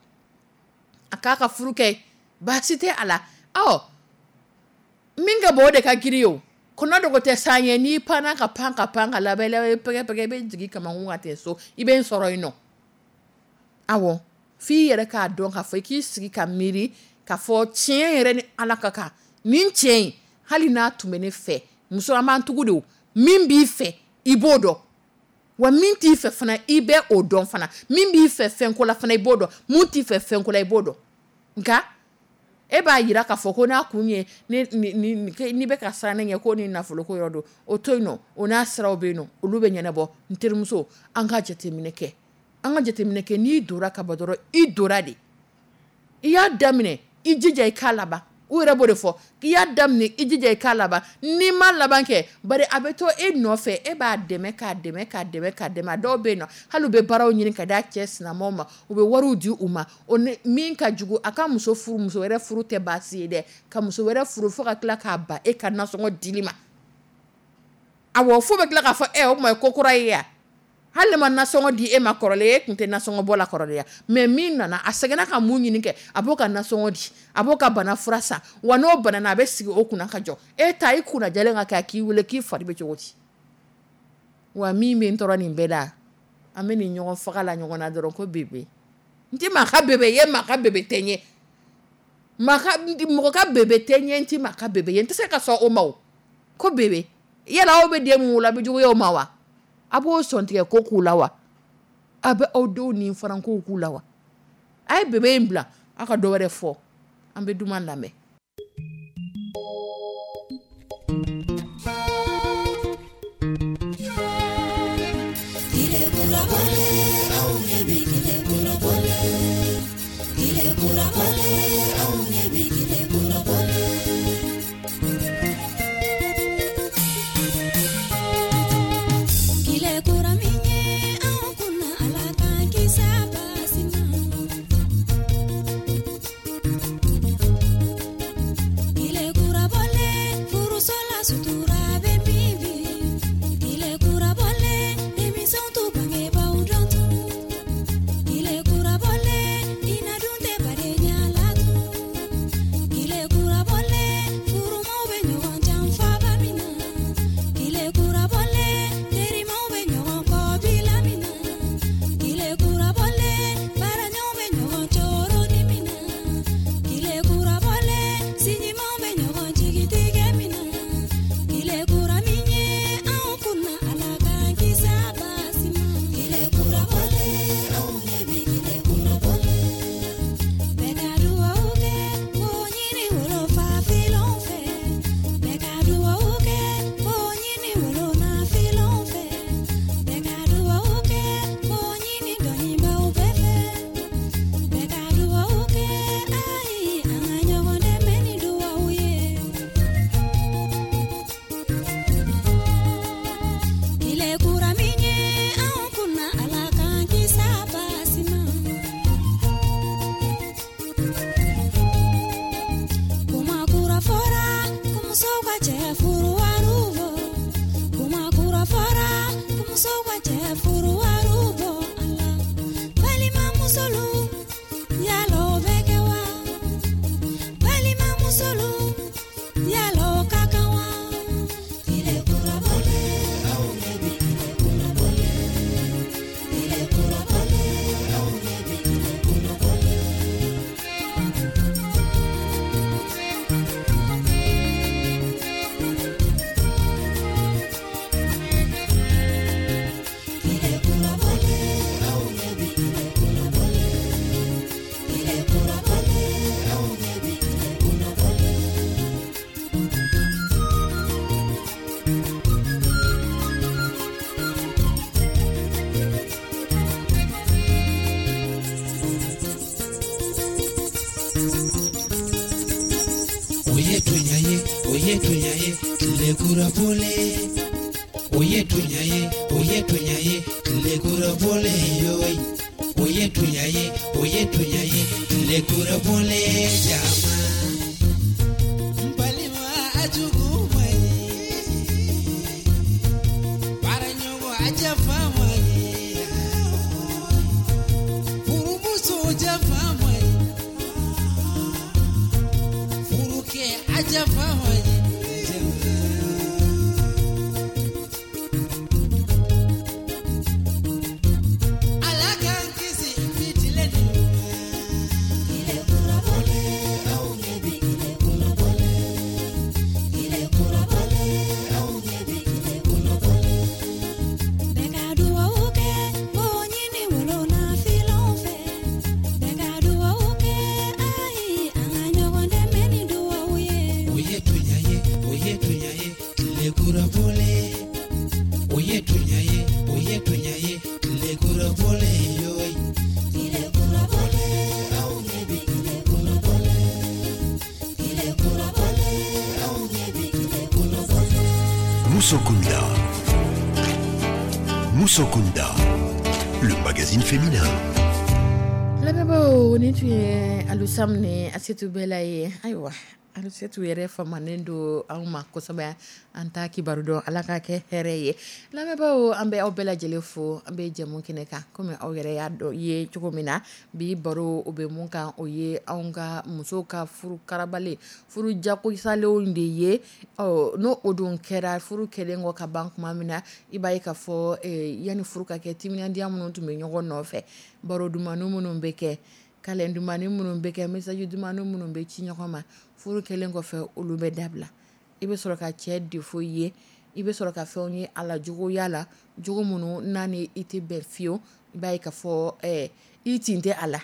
a k'a ka furu kɛ, baasi tɛ a la. Ɔ min ka bɔ o de ka girin o, kɔnɔ dogo tɛ san ye. N'i panna ka pan ka pan ka laban i pɛgɛ pɛgɛ, i bɛ jigin kamakun ka tɛ so, i bɛ n sɔrɔ yen nɔ. Awɔ, f'i yɛrɛ k'a dɔn k'a fɔ, i k'i sigi ka miiri k'a fɔ tiɲɛ yɛrɛ ni Ala ka kan, nin cɛ in hali n'a tun bɛ ne fɛ, muso an b'an tugu de o, min b'i fɛ i b'o dɔn, wa min t'i fɛ fana i bɛ o dɔn fana, min b'i fɛ fɛnko la fana i b'o dɔn, mun t'i fɛ fɛnko la i b'o dɔn. Nka e b'a jira k'a fɔ ko n'a kun ye n'i bɛ ka siran ne ɲɛ ko ni nafoloko yɔrɔ don, o to yen nɔ, o n'a siraw bɛ yen nɔ, olu bɛ ɲɛnabɔ. N terimuso, an ka jateminɛ kɛ, an ka jateminɛ kɛ. N'i donna ka ban dɔrɔn, i donna de, i y'a daminɛ, i jija i k'a laban. U yɛrɛ b'o de fɔ k'i y'a daminɛ, i jija i k'a laban. N'i ma laban kɛ, bari a bɛ to e nɔfɛ, e b'a dɛmɛ, k'a dɛmɛ, k'a dɛmɛ, k'a dɛmɛ. A dɔw bɛ yen nɔ, hali u bɛ baaraw ɲini ka d'a cɛ sinamaw ma, u bɛ wariw di u ma. O ni min ka jugu, a ka muso furu, muso wɛrɛ furu tɛ baasi ye dɛ, ka muso wɛrɛ furu fo ka tila k'a ban e ka nasɔngɔ dili ma. Awɔ, fo bɛ tila k'a fɔ o tuma ye ko kura ye ya. Hali ne ma nasɔngɔ di e ma kɔrɔlen, e tun tɛ nasɔngɔ bɔ la kɔrɔlen ya. Mais min nana, a sɛgɛnna ka mun ɲini kɛ, a b'o ka nasɔngɔ di, a b'o ka bana fura san, wa n'o banana, a bɛ sigi o kunna ka jɔ. E ta i kunna jɛlen ka kɛ, a k'i wele k'i fari bɛ cogo di? Wa min bɛ n tɔɔrɔ nin bɛɛ la, an bɛ nin ɲɔgɔn faga la ɲɔgɔn na dɔrɔn ko bébé. N tɛ maa ka bébé ye, maa ka bébé tɛ n ye. Mɔgɔ ka bébé tɛ n ye, n tɛ maa ka bébé ye. N tɛ se ka sɔn o ma o. Ko bébé. Yala aw bɛ den mun wolo, a bɛ juguya o ma wa? A b'o sɔntigɛ ko k'u la wa? A bɛ aw denw ni farankow k'u la wa? A ye bébé in bila, aw ka dɔ wɛrɛ fɔ. An bɛ duman lamɛn. Oye, tuya ye. Musokunda. Musokunda, le magazine féminin. Lamɛnbaaw, nin tun ye Alusam ni Asetu Bɛla ye. Ayiwa, Asetu yɛrɛ famanen don anw ma kosɛbɛ, an ta kibaru dɔn. Ala ka kɛ hɛrɛ ye. Lamɛnbaaw, an bɛ aw bɛɛ lajɛlen fo. An bɛ jɛmu kɛnɛ kan, komi aw yɛrɛ y'a dɔn i ye cogo min na, bi baro, o bɛ mun kan? O ye anw ka musow ka furu karabalen, furu jagosalenw de ye. Ɔ, n'o o dun kɛra, furu kɛlen kɔ ka ban tuma min na, i b'a ye k'a fɔ yanni furu ka kɛ, timinandiya minnu tun bɛ ɲɔgɔn nɔfɛ, baro dumani minnu bɛ kɛ, câlin dumani minnu bɛ kɛ, message dumani minnu bɛ ci ɲɔgɔn ma, furu kɛlen kɔfɛ, olu bɛ dabila. I bɛ sɔrɔ ka cɛ défaut ye, i bɛ sɔrɔ ka fɛnw ye a la, juguya la, jogo minnu n'a ni i tɛ bɛn fiyewu. I b'a ye k'a fɔ i tin tɛ a la.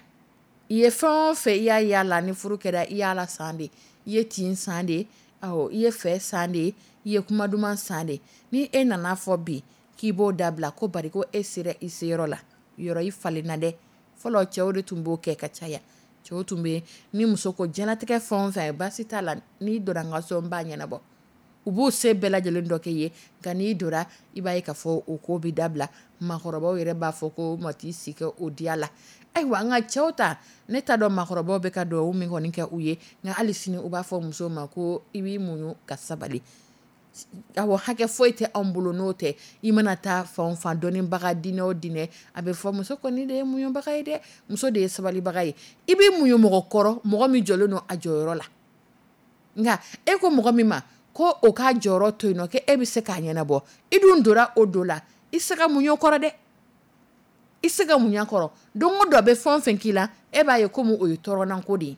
I ye fɛn o fɛn i y'a ye a la, ni furu kɛra, i y'a la san de. I ye tin san de, i ye fɛ san de, i ye kuma duman san de. Ni e nana fɔ bi k'i b'o dabila ko bari ko e sera i seyɔrɔ la, yɔrɔ i falenna dɛ. Fɔlɔ, cɛw de tun b'o kɛ ka caya. Cɛw tun bɛ, ni muso ko diɲɛlatigɛ fɛn o fɛn baasi t'a la, n'i donna n ka so n b'a ɲɛnabɔ, u b'u se bɛɛ lajɛlen dɔ kɛ ye. Nka n'i donna, i b'a ye k'a fɔ o ko bɛ dabila. Maakɔrɔbaw yɛrɛ b'a fɔ ko mat'i si kɛ o diya la. Ayiwa, nka cɛw ta, ne t'a dɔn maakɔrɔbaw bɛ ka dugawu min kɔni kɛ u ye, nka hali sini u b'a fɔ musow ma ko i b'i muɲu ka sabali. Awɔ, hakɛ foyi tɛ anw bolo n'o tɛ. I mana taa fan o fan, dɔnnibaga diinɛ o diinɛ, a bɛ fɔ muso kɔni de ye muɲubaga ye dɛ, muso de ye sabalibaga ye. I b'i muɲu mɔgɔ kɔrɔ, mɔgɔ min jɔlen don a jɔyɔrɔ la. Nka e ko mɔgɔ min ma ko o k'a jɔyɔrɔ to yen nɔ, ko e bɛ se k'a ɲɛnabɔ, i dun donna o don la, i se ka muɲu kɔrɔ dɛ, i se ka muɲu kɔrɔ. Don o don a bɛ fɛn o fɛn k'i la, e b'a ye komi o ye tɔɔrɔnanko de ye.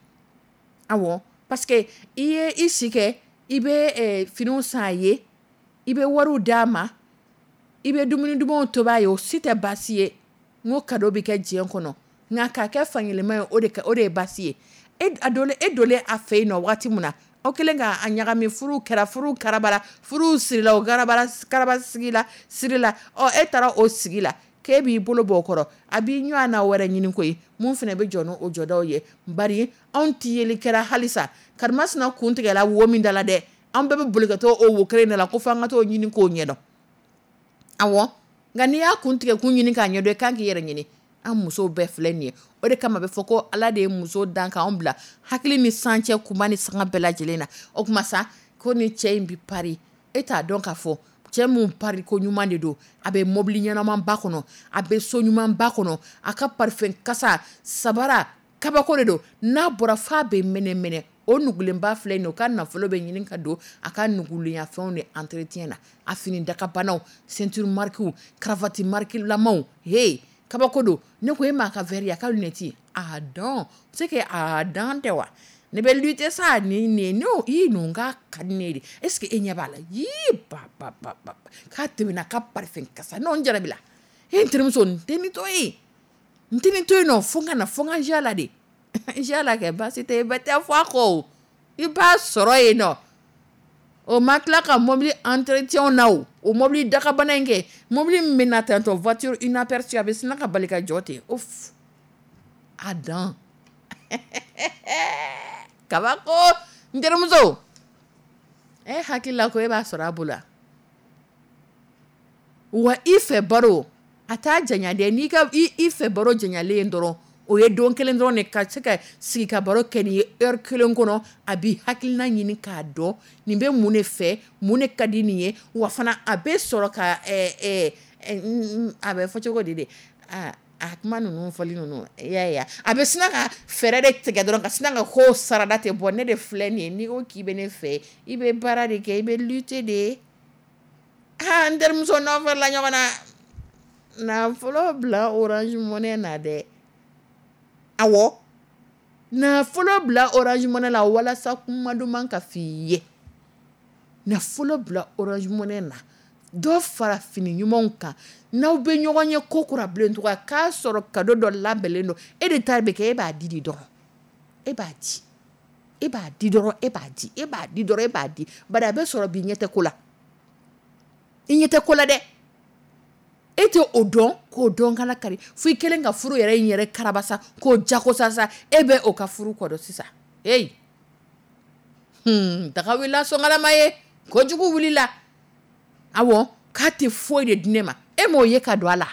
Awɔ, parce que i ye i si kɛ, i bɛ finiw san a ye, i bɛ wariw d'a ma, i bɛ dumuni dumanw tobi a ye. O si tɛ baasi ye. N ko cadeau bɛ kɛ diɲɛ kɔnɔ, nka k'a kɛ fankelen ye, o de ye baasi ye. E a donlen, e donlen a fɛ yen nɔ waati min na, aw kɛlen k'a ɲagami, furu kɛra, furu karabara, furu sirila, o garabara karaba sigi la siri la. Ɔ, e taara o sigi la k'e b'i bolo bɔ o kɔrɔ, a b'i ɲɔgɔn na wɛrɛ ɲini koyi, mun fana bɛ jɔ n'o jɔdaw ye. Bari anw tɛ yeli kɛra halisa karimasina kun tigɛla wo min da la dɛ, an bɛɛ bɛ boli ka taa o wo kelen de la ko f'an ka t'o ɲini k'o ɲɛdɔn. Awɔ, nka n'i y'a kun tigɛ kun ɲini k'a ɲɛdɔn, i kan k'i yɛrɛ ɲini. An musow bɛɛ filɛ nin ye. O de kama a bɛ fɔ ko Ala de ye muso dan k'anw bila hakili ni san cɛ, kuma ni sanga bɛɛ lajɛlen na. O tuma sa, ko ni cɛ in bɛ pari, e t'a dɔn k'a fɔ cɛ mun pari ko ɲuman de don. A bɛ mobili ɲɛnamaba kɔnɔ, a bɛ so ɲumanba kɔnɔ, a ka parfum kasa sabara kabako de don. N'a bɔra f'a bɛ mɛnɛ mɛnɛ. O nugulenba filɛ nin ye, o ka nafolo bɛ ɲini ka don a ka nugulenya fɛnw de entretien na, a fini dakabanaw, ceinture marque, cravate marque lamaw, he kabako don. Ne ko e m'a ka verre ye, a ka lunette, a dɔn c'est que a dan tɛ wa. Ne bɛ lutter sa ni nin ne i ninnu ka ka di ne ye de. Est ce que e ɲɛ b'a la? Yii ba ba ba ba, k'a tɛmɛna ka parfum kasa non n jarabi la. E n terimuso, n tɛ nin to yen, n tɛ nin to yen nɔ, fo n ka na, fo n ka n la de. N la kɛ baasi tɛ, bɛɛ tɛ fɔ a kɔ, i b'a sɔrɔ yen nɔ. O ma tila ka mobili entretien na, o o mobili dakabana in kɛ, mobili min bɛ na tantɔ, voiture inaperçue, a bɛ sina ka bali ka jɔ ten. Ouf, a dan kabako. N terimuso, e hakili la ko e b'a sɔrɔ a bolo wa? I fɛ baro, a t'a janya dɛ. N'i ka i fɛ baro janyalen dɔrɔn, o ye don kelen dɔrɔn de ka se ka sigi ka baro kɛ nin ye heure kelen kɔnɔ. A b'i hakilina ɲini k'a dɔn nin bɛ mun de fɛ, mun de ka di nin ye. Wa fana a bɛ sɔrɔ ka a bɛ fɔ cogo di de, a kuma ninnu fɔli ninnu, i y'a ye, a bɛ sina ka fɛɛrɛ de tigɛ dɔrɔn ka sina ka ko sarada tɛ bɔ. Ne de filɛ nin ye, n'i ko k'i bɛ ne fɛ, i bɛ baara de kɛ, i bɛ lutter de. Aa, n terimuso, n'aw farila ɲɔgɔn na, nafolo bila Orange Money na dɛ. Awɔ, nafolo bila Orange Money la walasa kuma duman ka f'i ye. Nafolo bila Orange Money na, dɔ fara fini ɲumanw kan. N'aw bɛ ɲɔgɔn ye ko kura bilen tuguni, k'a sɔrɔ cadeau dɔ labɛnlen don, e de ta bɛ kɛ, e b'a di de dɔrɔn, e b'a di, e b'a di dɔrɔn, e b'a di, e b'a di dɔrɔn, e b'a di. Bari a bɛ sɔrɔ bi, ɲɛ tɛ ko la, i ɲɛ tɛ ko la dɛ. E tɛ o dɔn k'o dɔn kana kari fo i kɛlen ka furu yɛrɛ in yɛrɛ karabasa k'o jagosa sa. E bɛ o ka furu kɔ dɔn sisan. Hey, daga wulila sɔngalama ye, kojugu wulila. Awɔ, k'a tɛ foyi de di ne ma. E m'o ye ka don a la,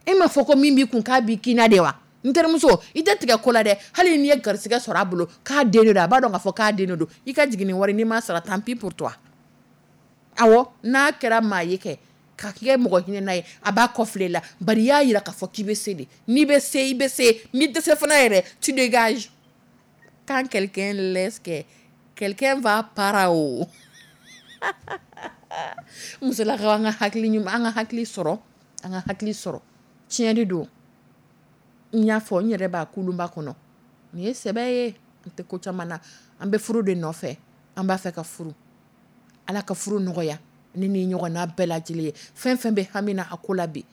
e m'a fɔ ko min b'i kun k'a b'i kin na de wa? N terimuso, i tɛ tigɛ ko la dɛ. Hali n'i ye garisɛgɛ sɔrɔ a bolo k'a den de don, a b'a dɔn k'a fɔ k'a den de don. I ka jigin ni wari, n'i m'a sara, tant pis pour toi. Awɔ, n'a kɛra maa ye kɛ ka kɛ mɔgɔ hinɛna ye, a b'a kɔfile la. Bari i y'a jira k'a fɔ k'i bɛ se de. N'i bɛ se, i bɛ se. N'i tɛ se fana yɛrɛ, tu dégages. Quand quelqu'un laisse que quelqu'un va para o. Musolakaw, an ka hakili ɲuman, an ka hakili sɔrɔ, an ka hakili sɔrɔ. Tiɲɛ de don. N y'a fɔ, n yɛrɛ b'a kulunba kɔnɔ. Nin ye sɛbɛ ye. N tɛ ko caman na. An bɛ furu de nɔfɛ. An b'a fɛ ka furu. Ala ka furu nɔgɔya ne ni ɲɔgɔnna bɛɛ lajɛlen ye. Fɛn fɛn bɛ hami na a ko la bi,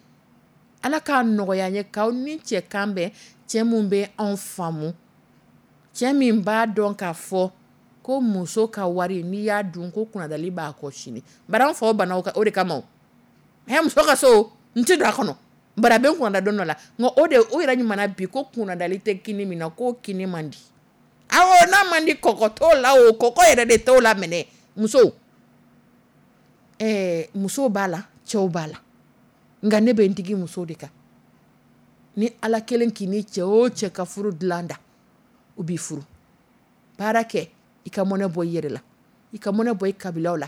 Ala k'a nɔgɔya n ye k'aw ni cɛ kan bɛn, cɛ mun bɛ anw faamu, cɛ min b'a dɔn k'a fɔ ko muso ka wari n'i y'a dun ko kunnadali b'a kɔ sini. Bari an faw banna o de kama o. Hɛ, muso ka so n tɛ don a kɔnɔ, bari a bɛ n kunnada don dɔ la. Nka o de o yɛrɛ ɲuman bi ko kunnadali tɛ kini min na, k'o kini man di. Awɔ, n'a man di kɔgɔ t'o la o, kɔgɔ yɛrɛ de t'o la minɛ. Musow, musow b'a la, cɛw b'a la. Nka ne bɛ n digi musow de kan. Ni Ala kelen k'i ni cɛ o cɛ ka furu dilan da, u b'i furu. Baara kɛ, i ka mɔnɛ bɔ i yɛrɛ la, i ka mɔnɛ bɔ i kabilaw la,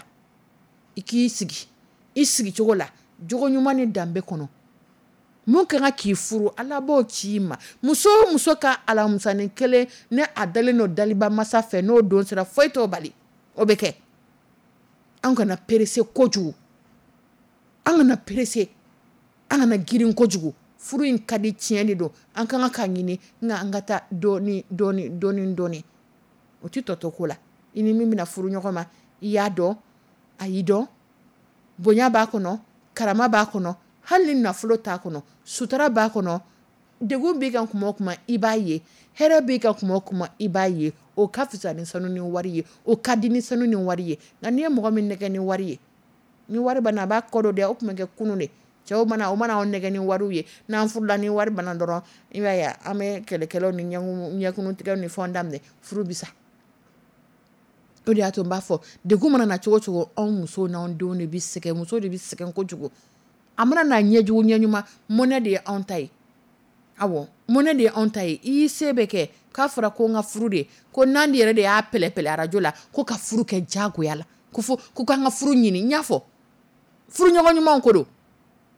i k'i sigi i sigicogo la, jogo ɲuman ni danbe kɔnɔ. Mun ka kan k'i furu, Ala b'o ci i ma. Muso o muso ka alamusanin kelen ni a dalen don daliba masa fɛ, n'o don sera, foyi t'o bali, o bɛ kɛ. An kana presser kojugu, an kana presser, an kana girin kojugu. Furu in ka di, tiɲɛ de don, an ka kan ka ɲini, nka an ka taa dɔɔni dɔɔni dɔɔni dɔɔni. O tɛ tɔ to ko la. I ni min bɛna furu ɲɔgɔn ma, i y'a dɔn, a y'i dɔn, bonya b'a kɔnɔ, karama b'a kɔnɔ, hali ni nafolo t'a kɔnɔ, sutura b'a kɔnɔ. Degun b'i kan kuma o kuma, i b'a ye. Hɛrɛ b'i kan kuma o kuma, i b'a ye. O ka fisa ni sanu ni wari ye, o ka di ni sanu ni wari ye. Nka n'i ye mɔgɔ min nɛgɛ ni wari ye, ni wari banna, a b'a kɔ don dɛ. O tun bɛ kɛ kunun de. Cɛw mana o mana anw nɛgɛ ni wariw ye, n'an furula, ni wari banna dɔrɔn, i b'a ye an bɛ kɛlɛkɛlaw ni ɲɛkunutigɛw ni fɛnw daminɛ, furu bi sa. O de y'a to n b'a fɔ, degun mana na cogo cogo, anw musow n'anw denw de bɛ sɛgɛn, musow de bɛ sɛgɛn kojugu. A mana n'a ɲɛjugu ɲɛɲuman, mɔnɛ de ye anw ta ye. Awɔ, mɔnɛ de ye anw ta ye. I y'i se bɛɛ kɛ, k'a fɔra ko n ka furu de, ko Nandi yɛrɛ de y'a pɛlɛpɛlɛ arajo la, ko ka furu kɛ diyagoya la, ko fo ko k'an ka furu ɲini. N y'a fɔ, furu ɲɔgɔn ɲumanw ko don.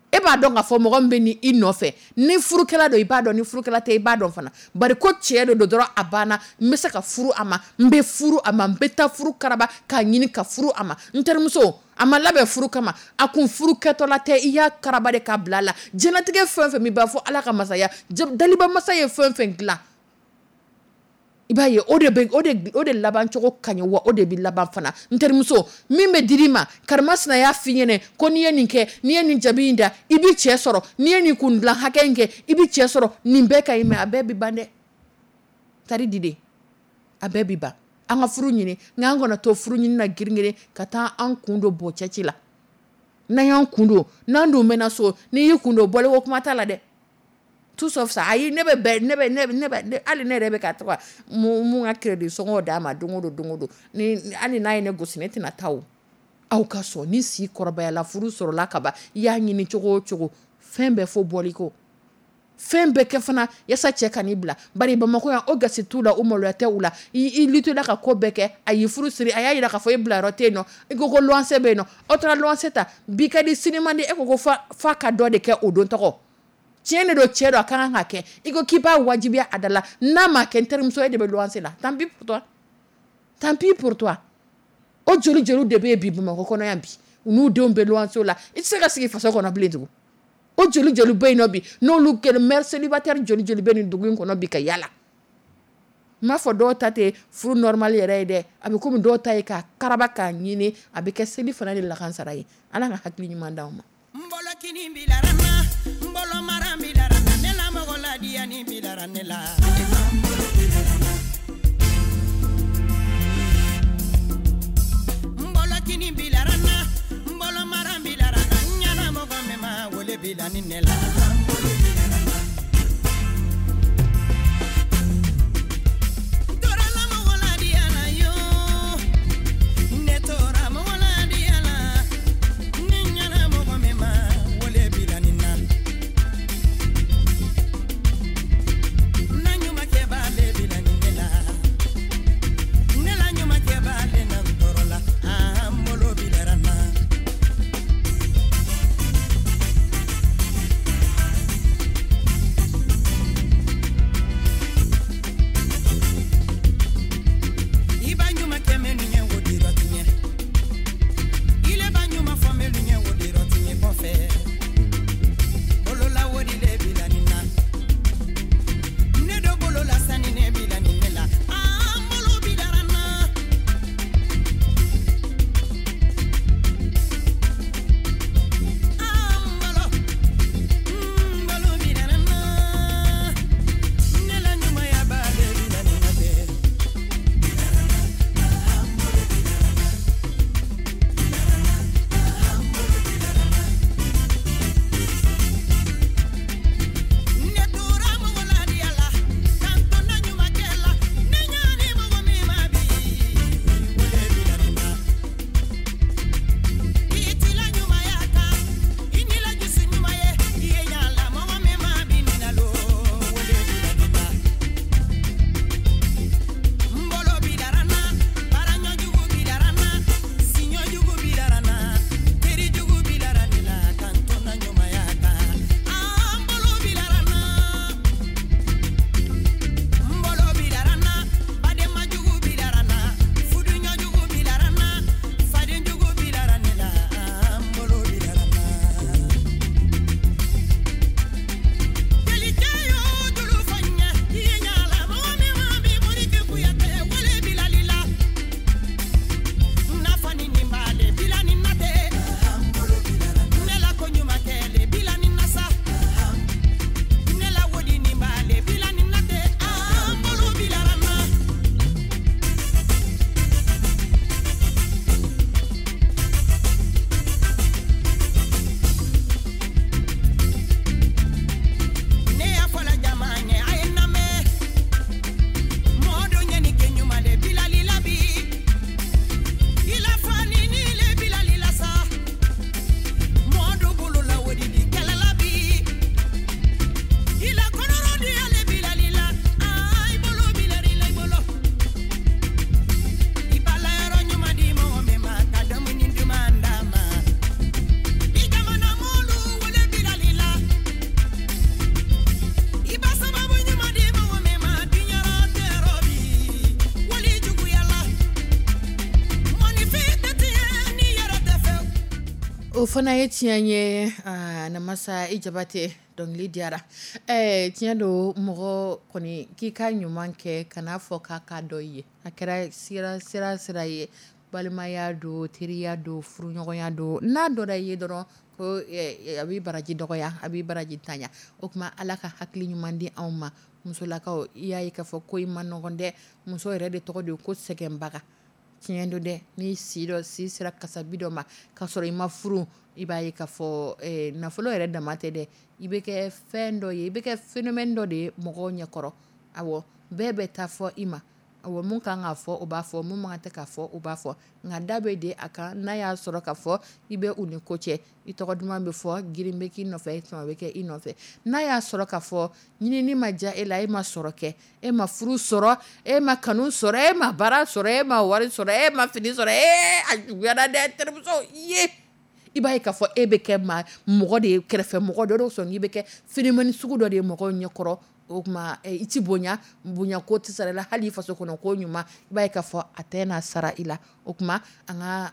E b'a dɔn k'a fɔ mɔgɔ min bɛ ni i nɔfɛ, ni furukɛla don i b'a dɔn, ni furukɛla tɛ i b'a dɔn fana. Bari ko cɛ de don dɔrɔn, a banna, n bɛ se ka furu a ma, n bɛ furu a ma, n bɛ taa furu karaba k'a ɲini ka furu a ma. N terimuso, a ma labɛn furu kama, a kun furu kɛtɔla tɛ, i y'a karaba de k'a bila a la. Diɲɛlatigɛ fɛn fɛn min b'a fɔ Ala ka masaya, daliba masa ye fɛn fɛn dilan, i b'a ye o de bɛ, o de laban cogo ka ɲi, wa o de bɛ laban fana. N terimuso, min bɛ dir'i ma, karimasina y'a f'i ɲɛnɛ ko n'i ye nin kɛ, n'i ye nin jabi in da, i bɛ cɛ sɔrɔ, n'i ye nin kun dilan hakɛ in kɛ, i bɛ cɛ sɔrɔ. Nin bɛɛ ka ɲi, mais a bɛɛ bɛ ban dɛ. Tari di de, a bɛɛ bɛ ban. An ka furu ɲini, nka an kana to furu ɲini na girin-girin ka taa an kun don bɔ cɛci la. N'an y'an kun don, n'an dun mɛnna so, n'i y'i kun don, bɔliko kuma t'a la dɛ. Tout sauf ça. Ayi, ne bɛ bɛɛ, ne bɛ, ne bɛ, ne bɛ, ne, hali ne yɛrɛ bɛ ka to ka mun ka crédit sɔngɔw d'a ma don o don, don o don. Ni, hali n'a ye ne gosi, ne tɛna taa o. Aw ka sɔn, ni si kɔrɔbayala, furu sɔrɔla ka ban, i y'a ɲini cogo o cogo, fɛn bɛɛ fo bɔli ko. Fɛn bɛɛ kɛ fana, yasa cɛ ka n'i bila. Bari Bamakɔ yan, o gasi t'u la, o maloya tɛ u la. I luttela ka ko bɛɛ kɛ, a y'i furu siri, a y'a yira k'a fɔ e bila yɔrɔ tɛ yen nɔ. I ko ko luwanse bɛ yen nɔ. Aw taara luwanse ta, bi ka di, sini man di, e ko ko fa ka dɔ de kɛ o don tɔgɔ. Tiɲɛ de don, cɛ don, a ka kan ka kɛ. I ko k'i b'a wajibiya a da la, n'a ma kɛ, n terimuso, e de bɛ luwanse la. Tant pis pour toi. Tant pis pour toi. O joli joli de bɛ yen bi Bamakɔ kɔnɔ yan bi, u n'u denw bɛ luwanse la. I tɛ se ka sigi faso kɔnɔ bilen tugun. O joli joli bɛ yen nɔ bi, n'olu kɛlen mère célibataire joli joli bɛ nin dugu in kɔnɔ bi ka yala. N m'a fɔ dɔw ta tɛ furu normal yɛrɛ ye dɛ, a bɛ komi dɔw ta ye k'a karaba k'a ɲini, a bɛ kɛ seli fana de lakansara ye. Ala ka hakili ɲuman d'anw ma. N bolo kini bilara n na, n bolo mara bilara n na, ne la mɔgɔ ladiyani bilara ne la. N bolo kini bilara n na, n bolo mara bilara n na, n ɲɛna mɔgɔ min ma wele bila ni ne la. N tora la mɔgɔ ladiya la yo, ne tora mɔgɔ ladiya la. O fana ye tiɲɛ ye, Namasa i Jabate, dɔnkili diyara. Tiɲɛ don, mɔgɔ kɔni k'i ka ɲuman kɛ, kana fɔ k'a ka dɔ i ye. A kɛra sira sira sira ye, balimaya don, teriya don, furuɲɔgɔnya don, n'a dɔ i ye dɔrɔn ko a b'i baraji dɔgɔya, a b'i baraji tanya. O tuma Ala ka hakili ɲuman di anw ma. Musolakaw, i y'a ye k'a fɔ ko i ma nɔgɔn dɛ. Muso yɛrɛ de tɔgɔ de ye ko sɛgɛnbaga. Tiɲɛ don dɛ, n'i si dɔ si sera kasabi dɔ ma ka sɔrɔ i ma furu, i b'a ye k'a fɔ nafolo yɛrɛ dama tɛ dɛ, i bɛ kɛ fɛn dɔ ye, i bɛ kɛ phénomène dɔ de ye mɔgɔw ɲɛkɔrɔ. Awɔ, bɛɛ bɛ taa fɔ i ma. Awɔ, mun kan k'a fɔ, o b'a fɔ, mun man kan tɛ k'a fɔ, o b'a fɔ. Nka da bɛ de a kan, n'a y'a sɔrɔ k'a fɔ i bɛ u ni ko cɛ, i tɔgɔ duman bɛ fɔ, girin bɛ k'i nɔfɛ, sama bɛ kɛ i nɔfɛ. N'a y'a sɔrɔ k'a fɔ ɲinini ma diya e la, e ma sɔrɔ kɛ, e ma furu sɔrɔ, e ma kanu sɔrɔ, e ma baara sɔrɔ, e ma wari sɔrɔ, e ma fini sɔrɔ, a juguyara dɛ, terimuso ye. I b'a ye k'a fɔ e bɛ kɛ maa mɔgɔ de ye, kɛrɛfɛ mɔgɔ dɔ sɔn i bɛ kɛ phénomène sugu dɔ de ye mɔgɔw ɲɛkɔrɔ. O tuma i ti bonya, bonya ko tɛ sara la, hali i faso kɔnɔ ko ɲuman, i b'a ye k'a fɔ a tɛ na sara i la. O tuma an ka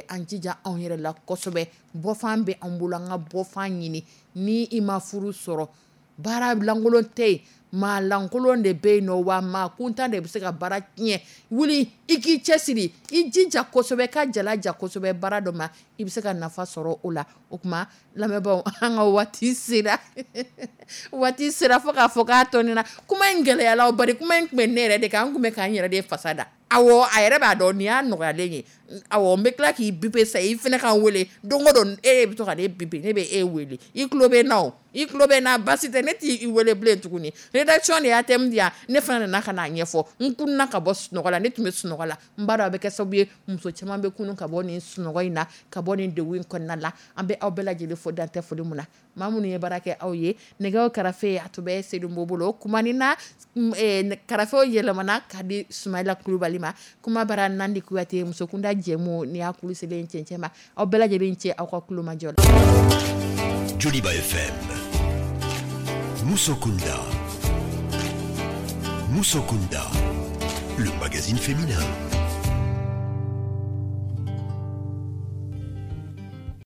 an jija anw yɛrɛ la kosɛbɛ. Bɔfan bɛ an bolo, an ka bɔfan ɲini. Ni i ma furu sɔrɔ, baara lankolon tɛ yen, maa lankolon de bɛ yen nɔ, wa maa kuntan de bɛ se ka baara tiɲɛ. Wuli i k'i cɛsiri, i jija kosɛbɛ, ka jala ja kosɛbɛ baara dɔ ma, i bɛ se ka nafa sɔrɔ o la. O tuma lamɛnbaaw, an ka waati sera, waati sera fo k'a fɔ k'a tɔnina kuma in gɛlɛyala, bari kuma in tun bɛ ne yɛrɛ de kan, an tun bɛ k'an yɛrɛ de fasa da. Awɔ, a yɛrɛ b'a dɔn nin y'a nɔgɔyalen ye. Awɔ, n bɛ tila k'i biper sa, i fana ka n wele don o don. E bɛ to ka ne biper, ne bɛ e wele, i tulo bɛ n na o, i tulo bɛ n na, basi tɛ, ne t'i wele bilen tuguni. Rédaction de y'a thème di yan, ne fana nana ka n'a ɲɛfɔ. N kununa ka bɔ sunɔgɔ la, ne tun bɛ sunɔgɔ la. N b'a dɔn a bɛ kɛ sababu ye, muso caman bɛ kunun ka bɔ nin sunɔgɔ in na, ka bɔ nin degun in kɔnɔna la. An bɛ aw bɛɛ lajɛlen fo dan tɛ foli mun na. Maa minnu ye baara kɛ aw ye, nɛgɛw karafe a tun bɛ Sedu bolo, kuma ni na karafew yɛlɛmana ka di Sumayila Kulubali ma. Kuma bara Nandi Kuyate, musokunda jɛmu ni y'a kulu selen cɛncɛn ma. Aw bɛɛ lajɛlen cɛ aw ka kulomajɔ la. Joliba FM, Musokunda, Musokunda, le magazine féminin.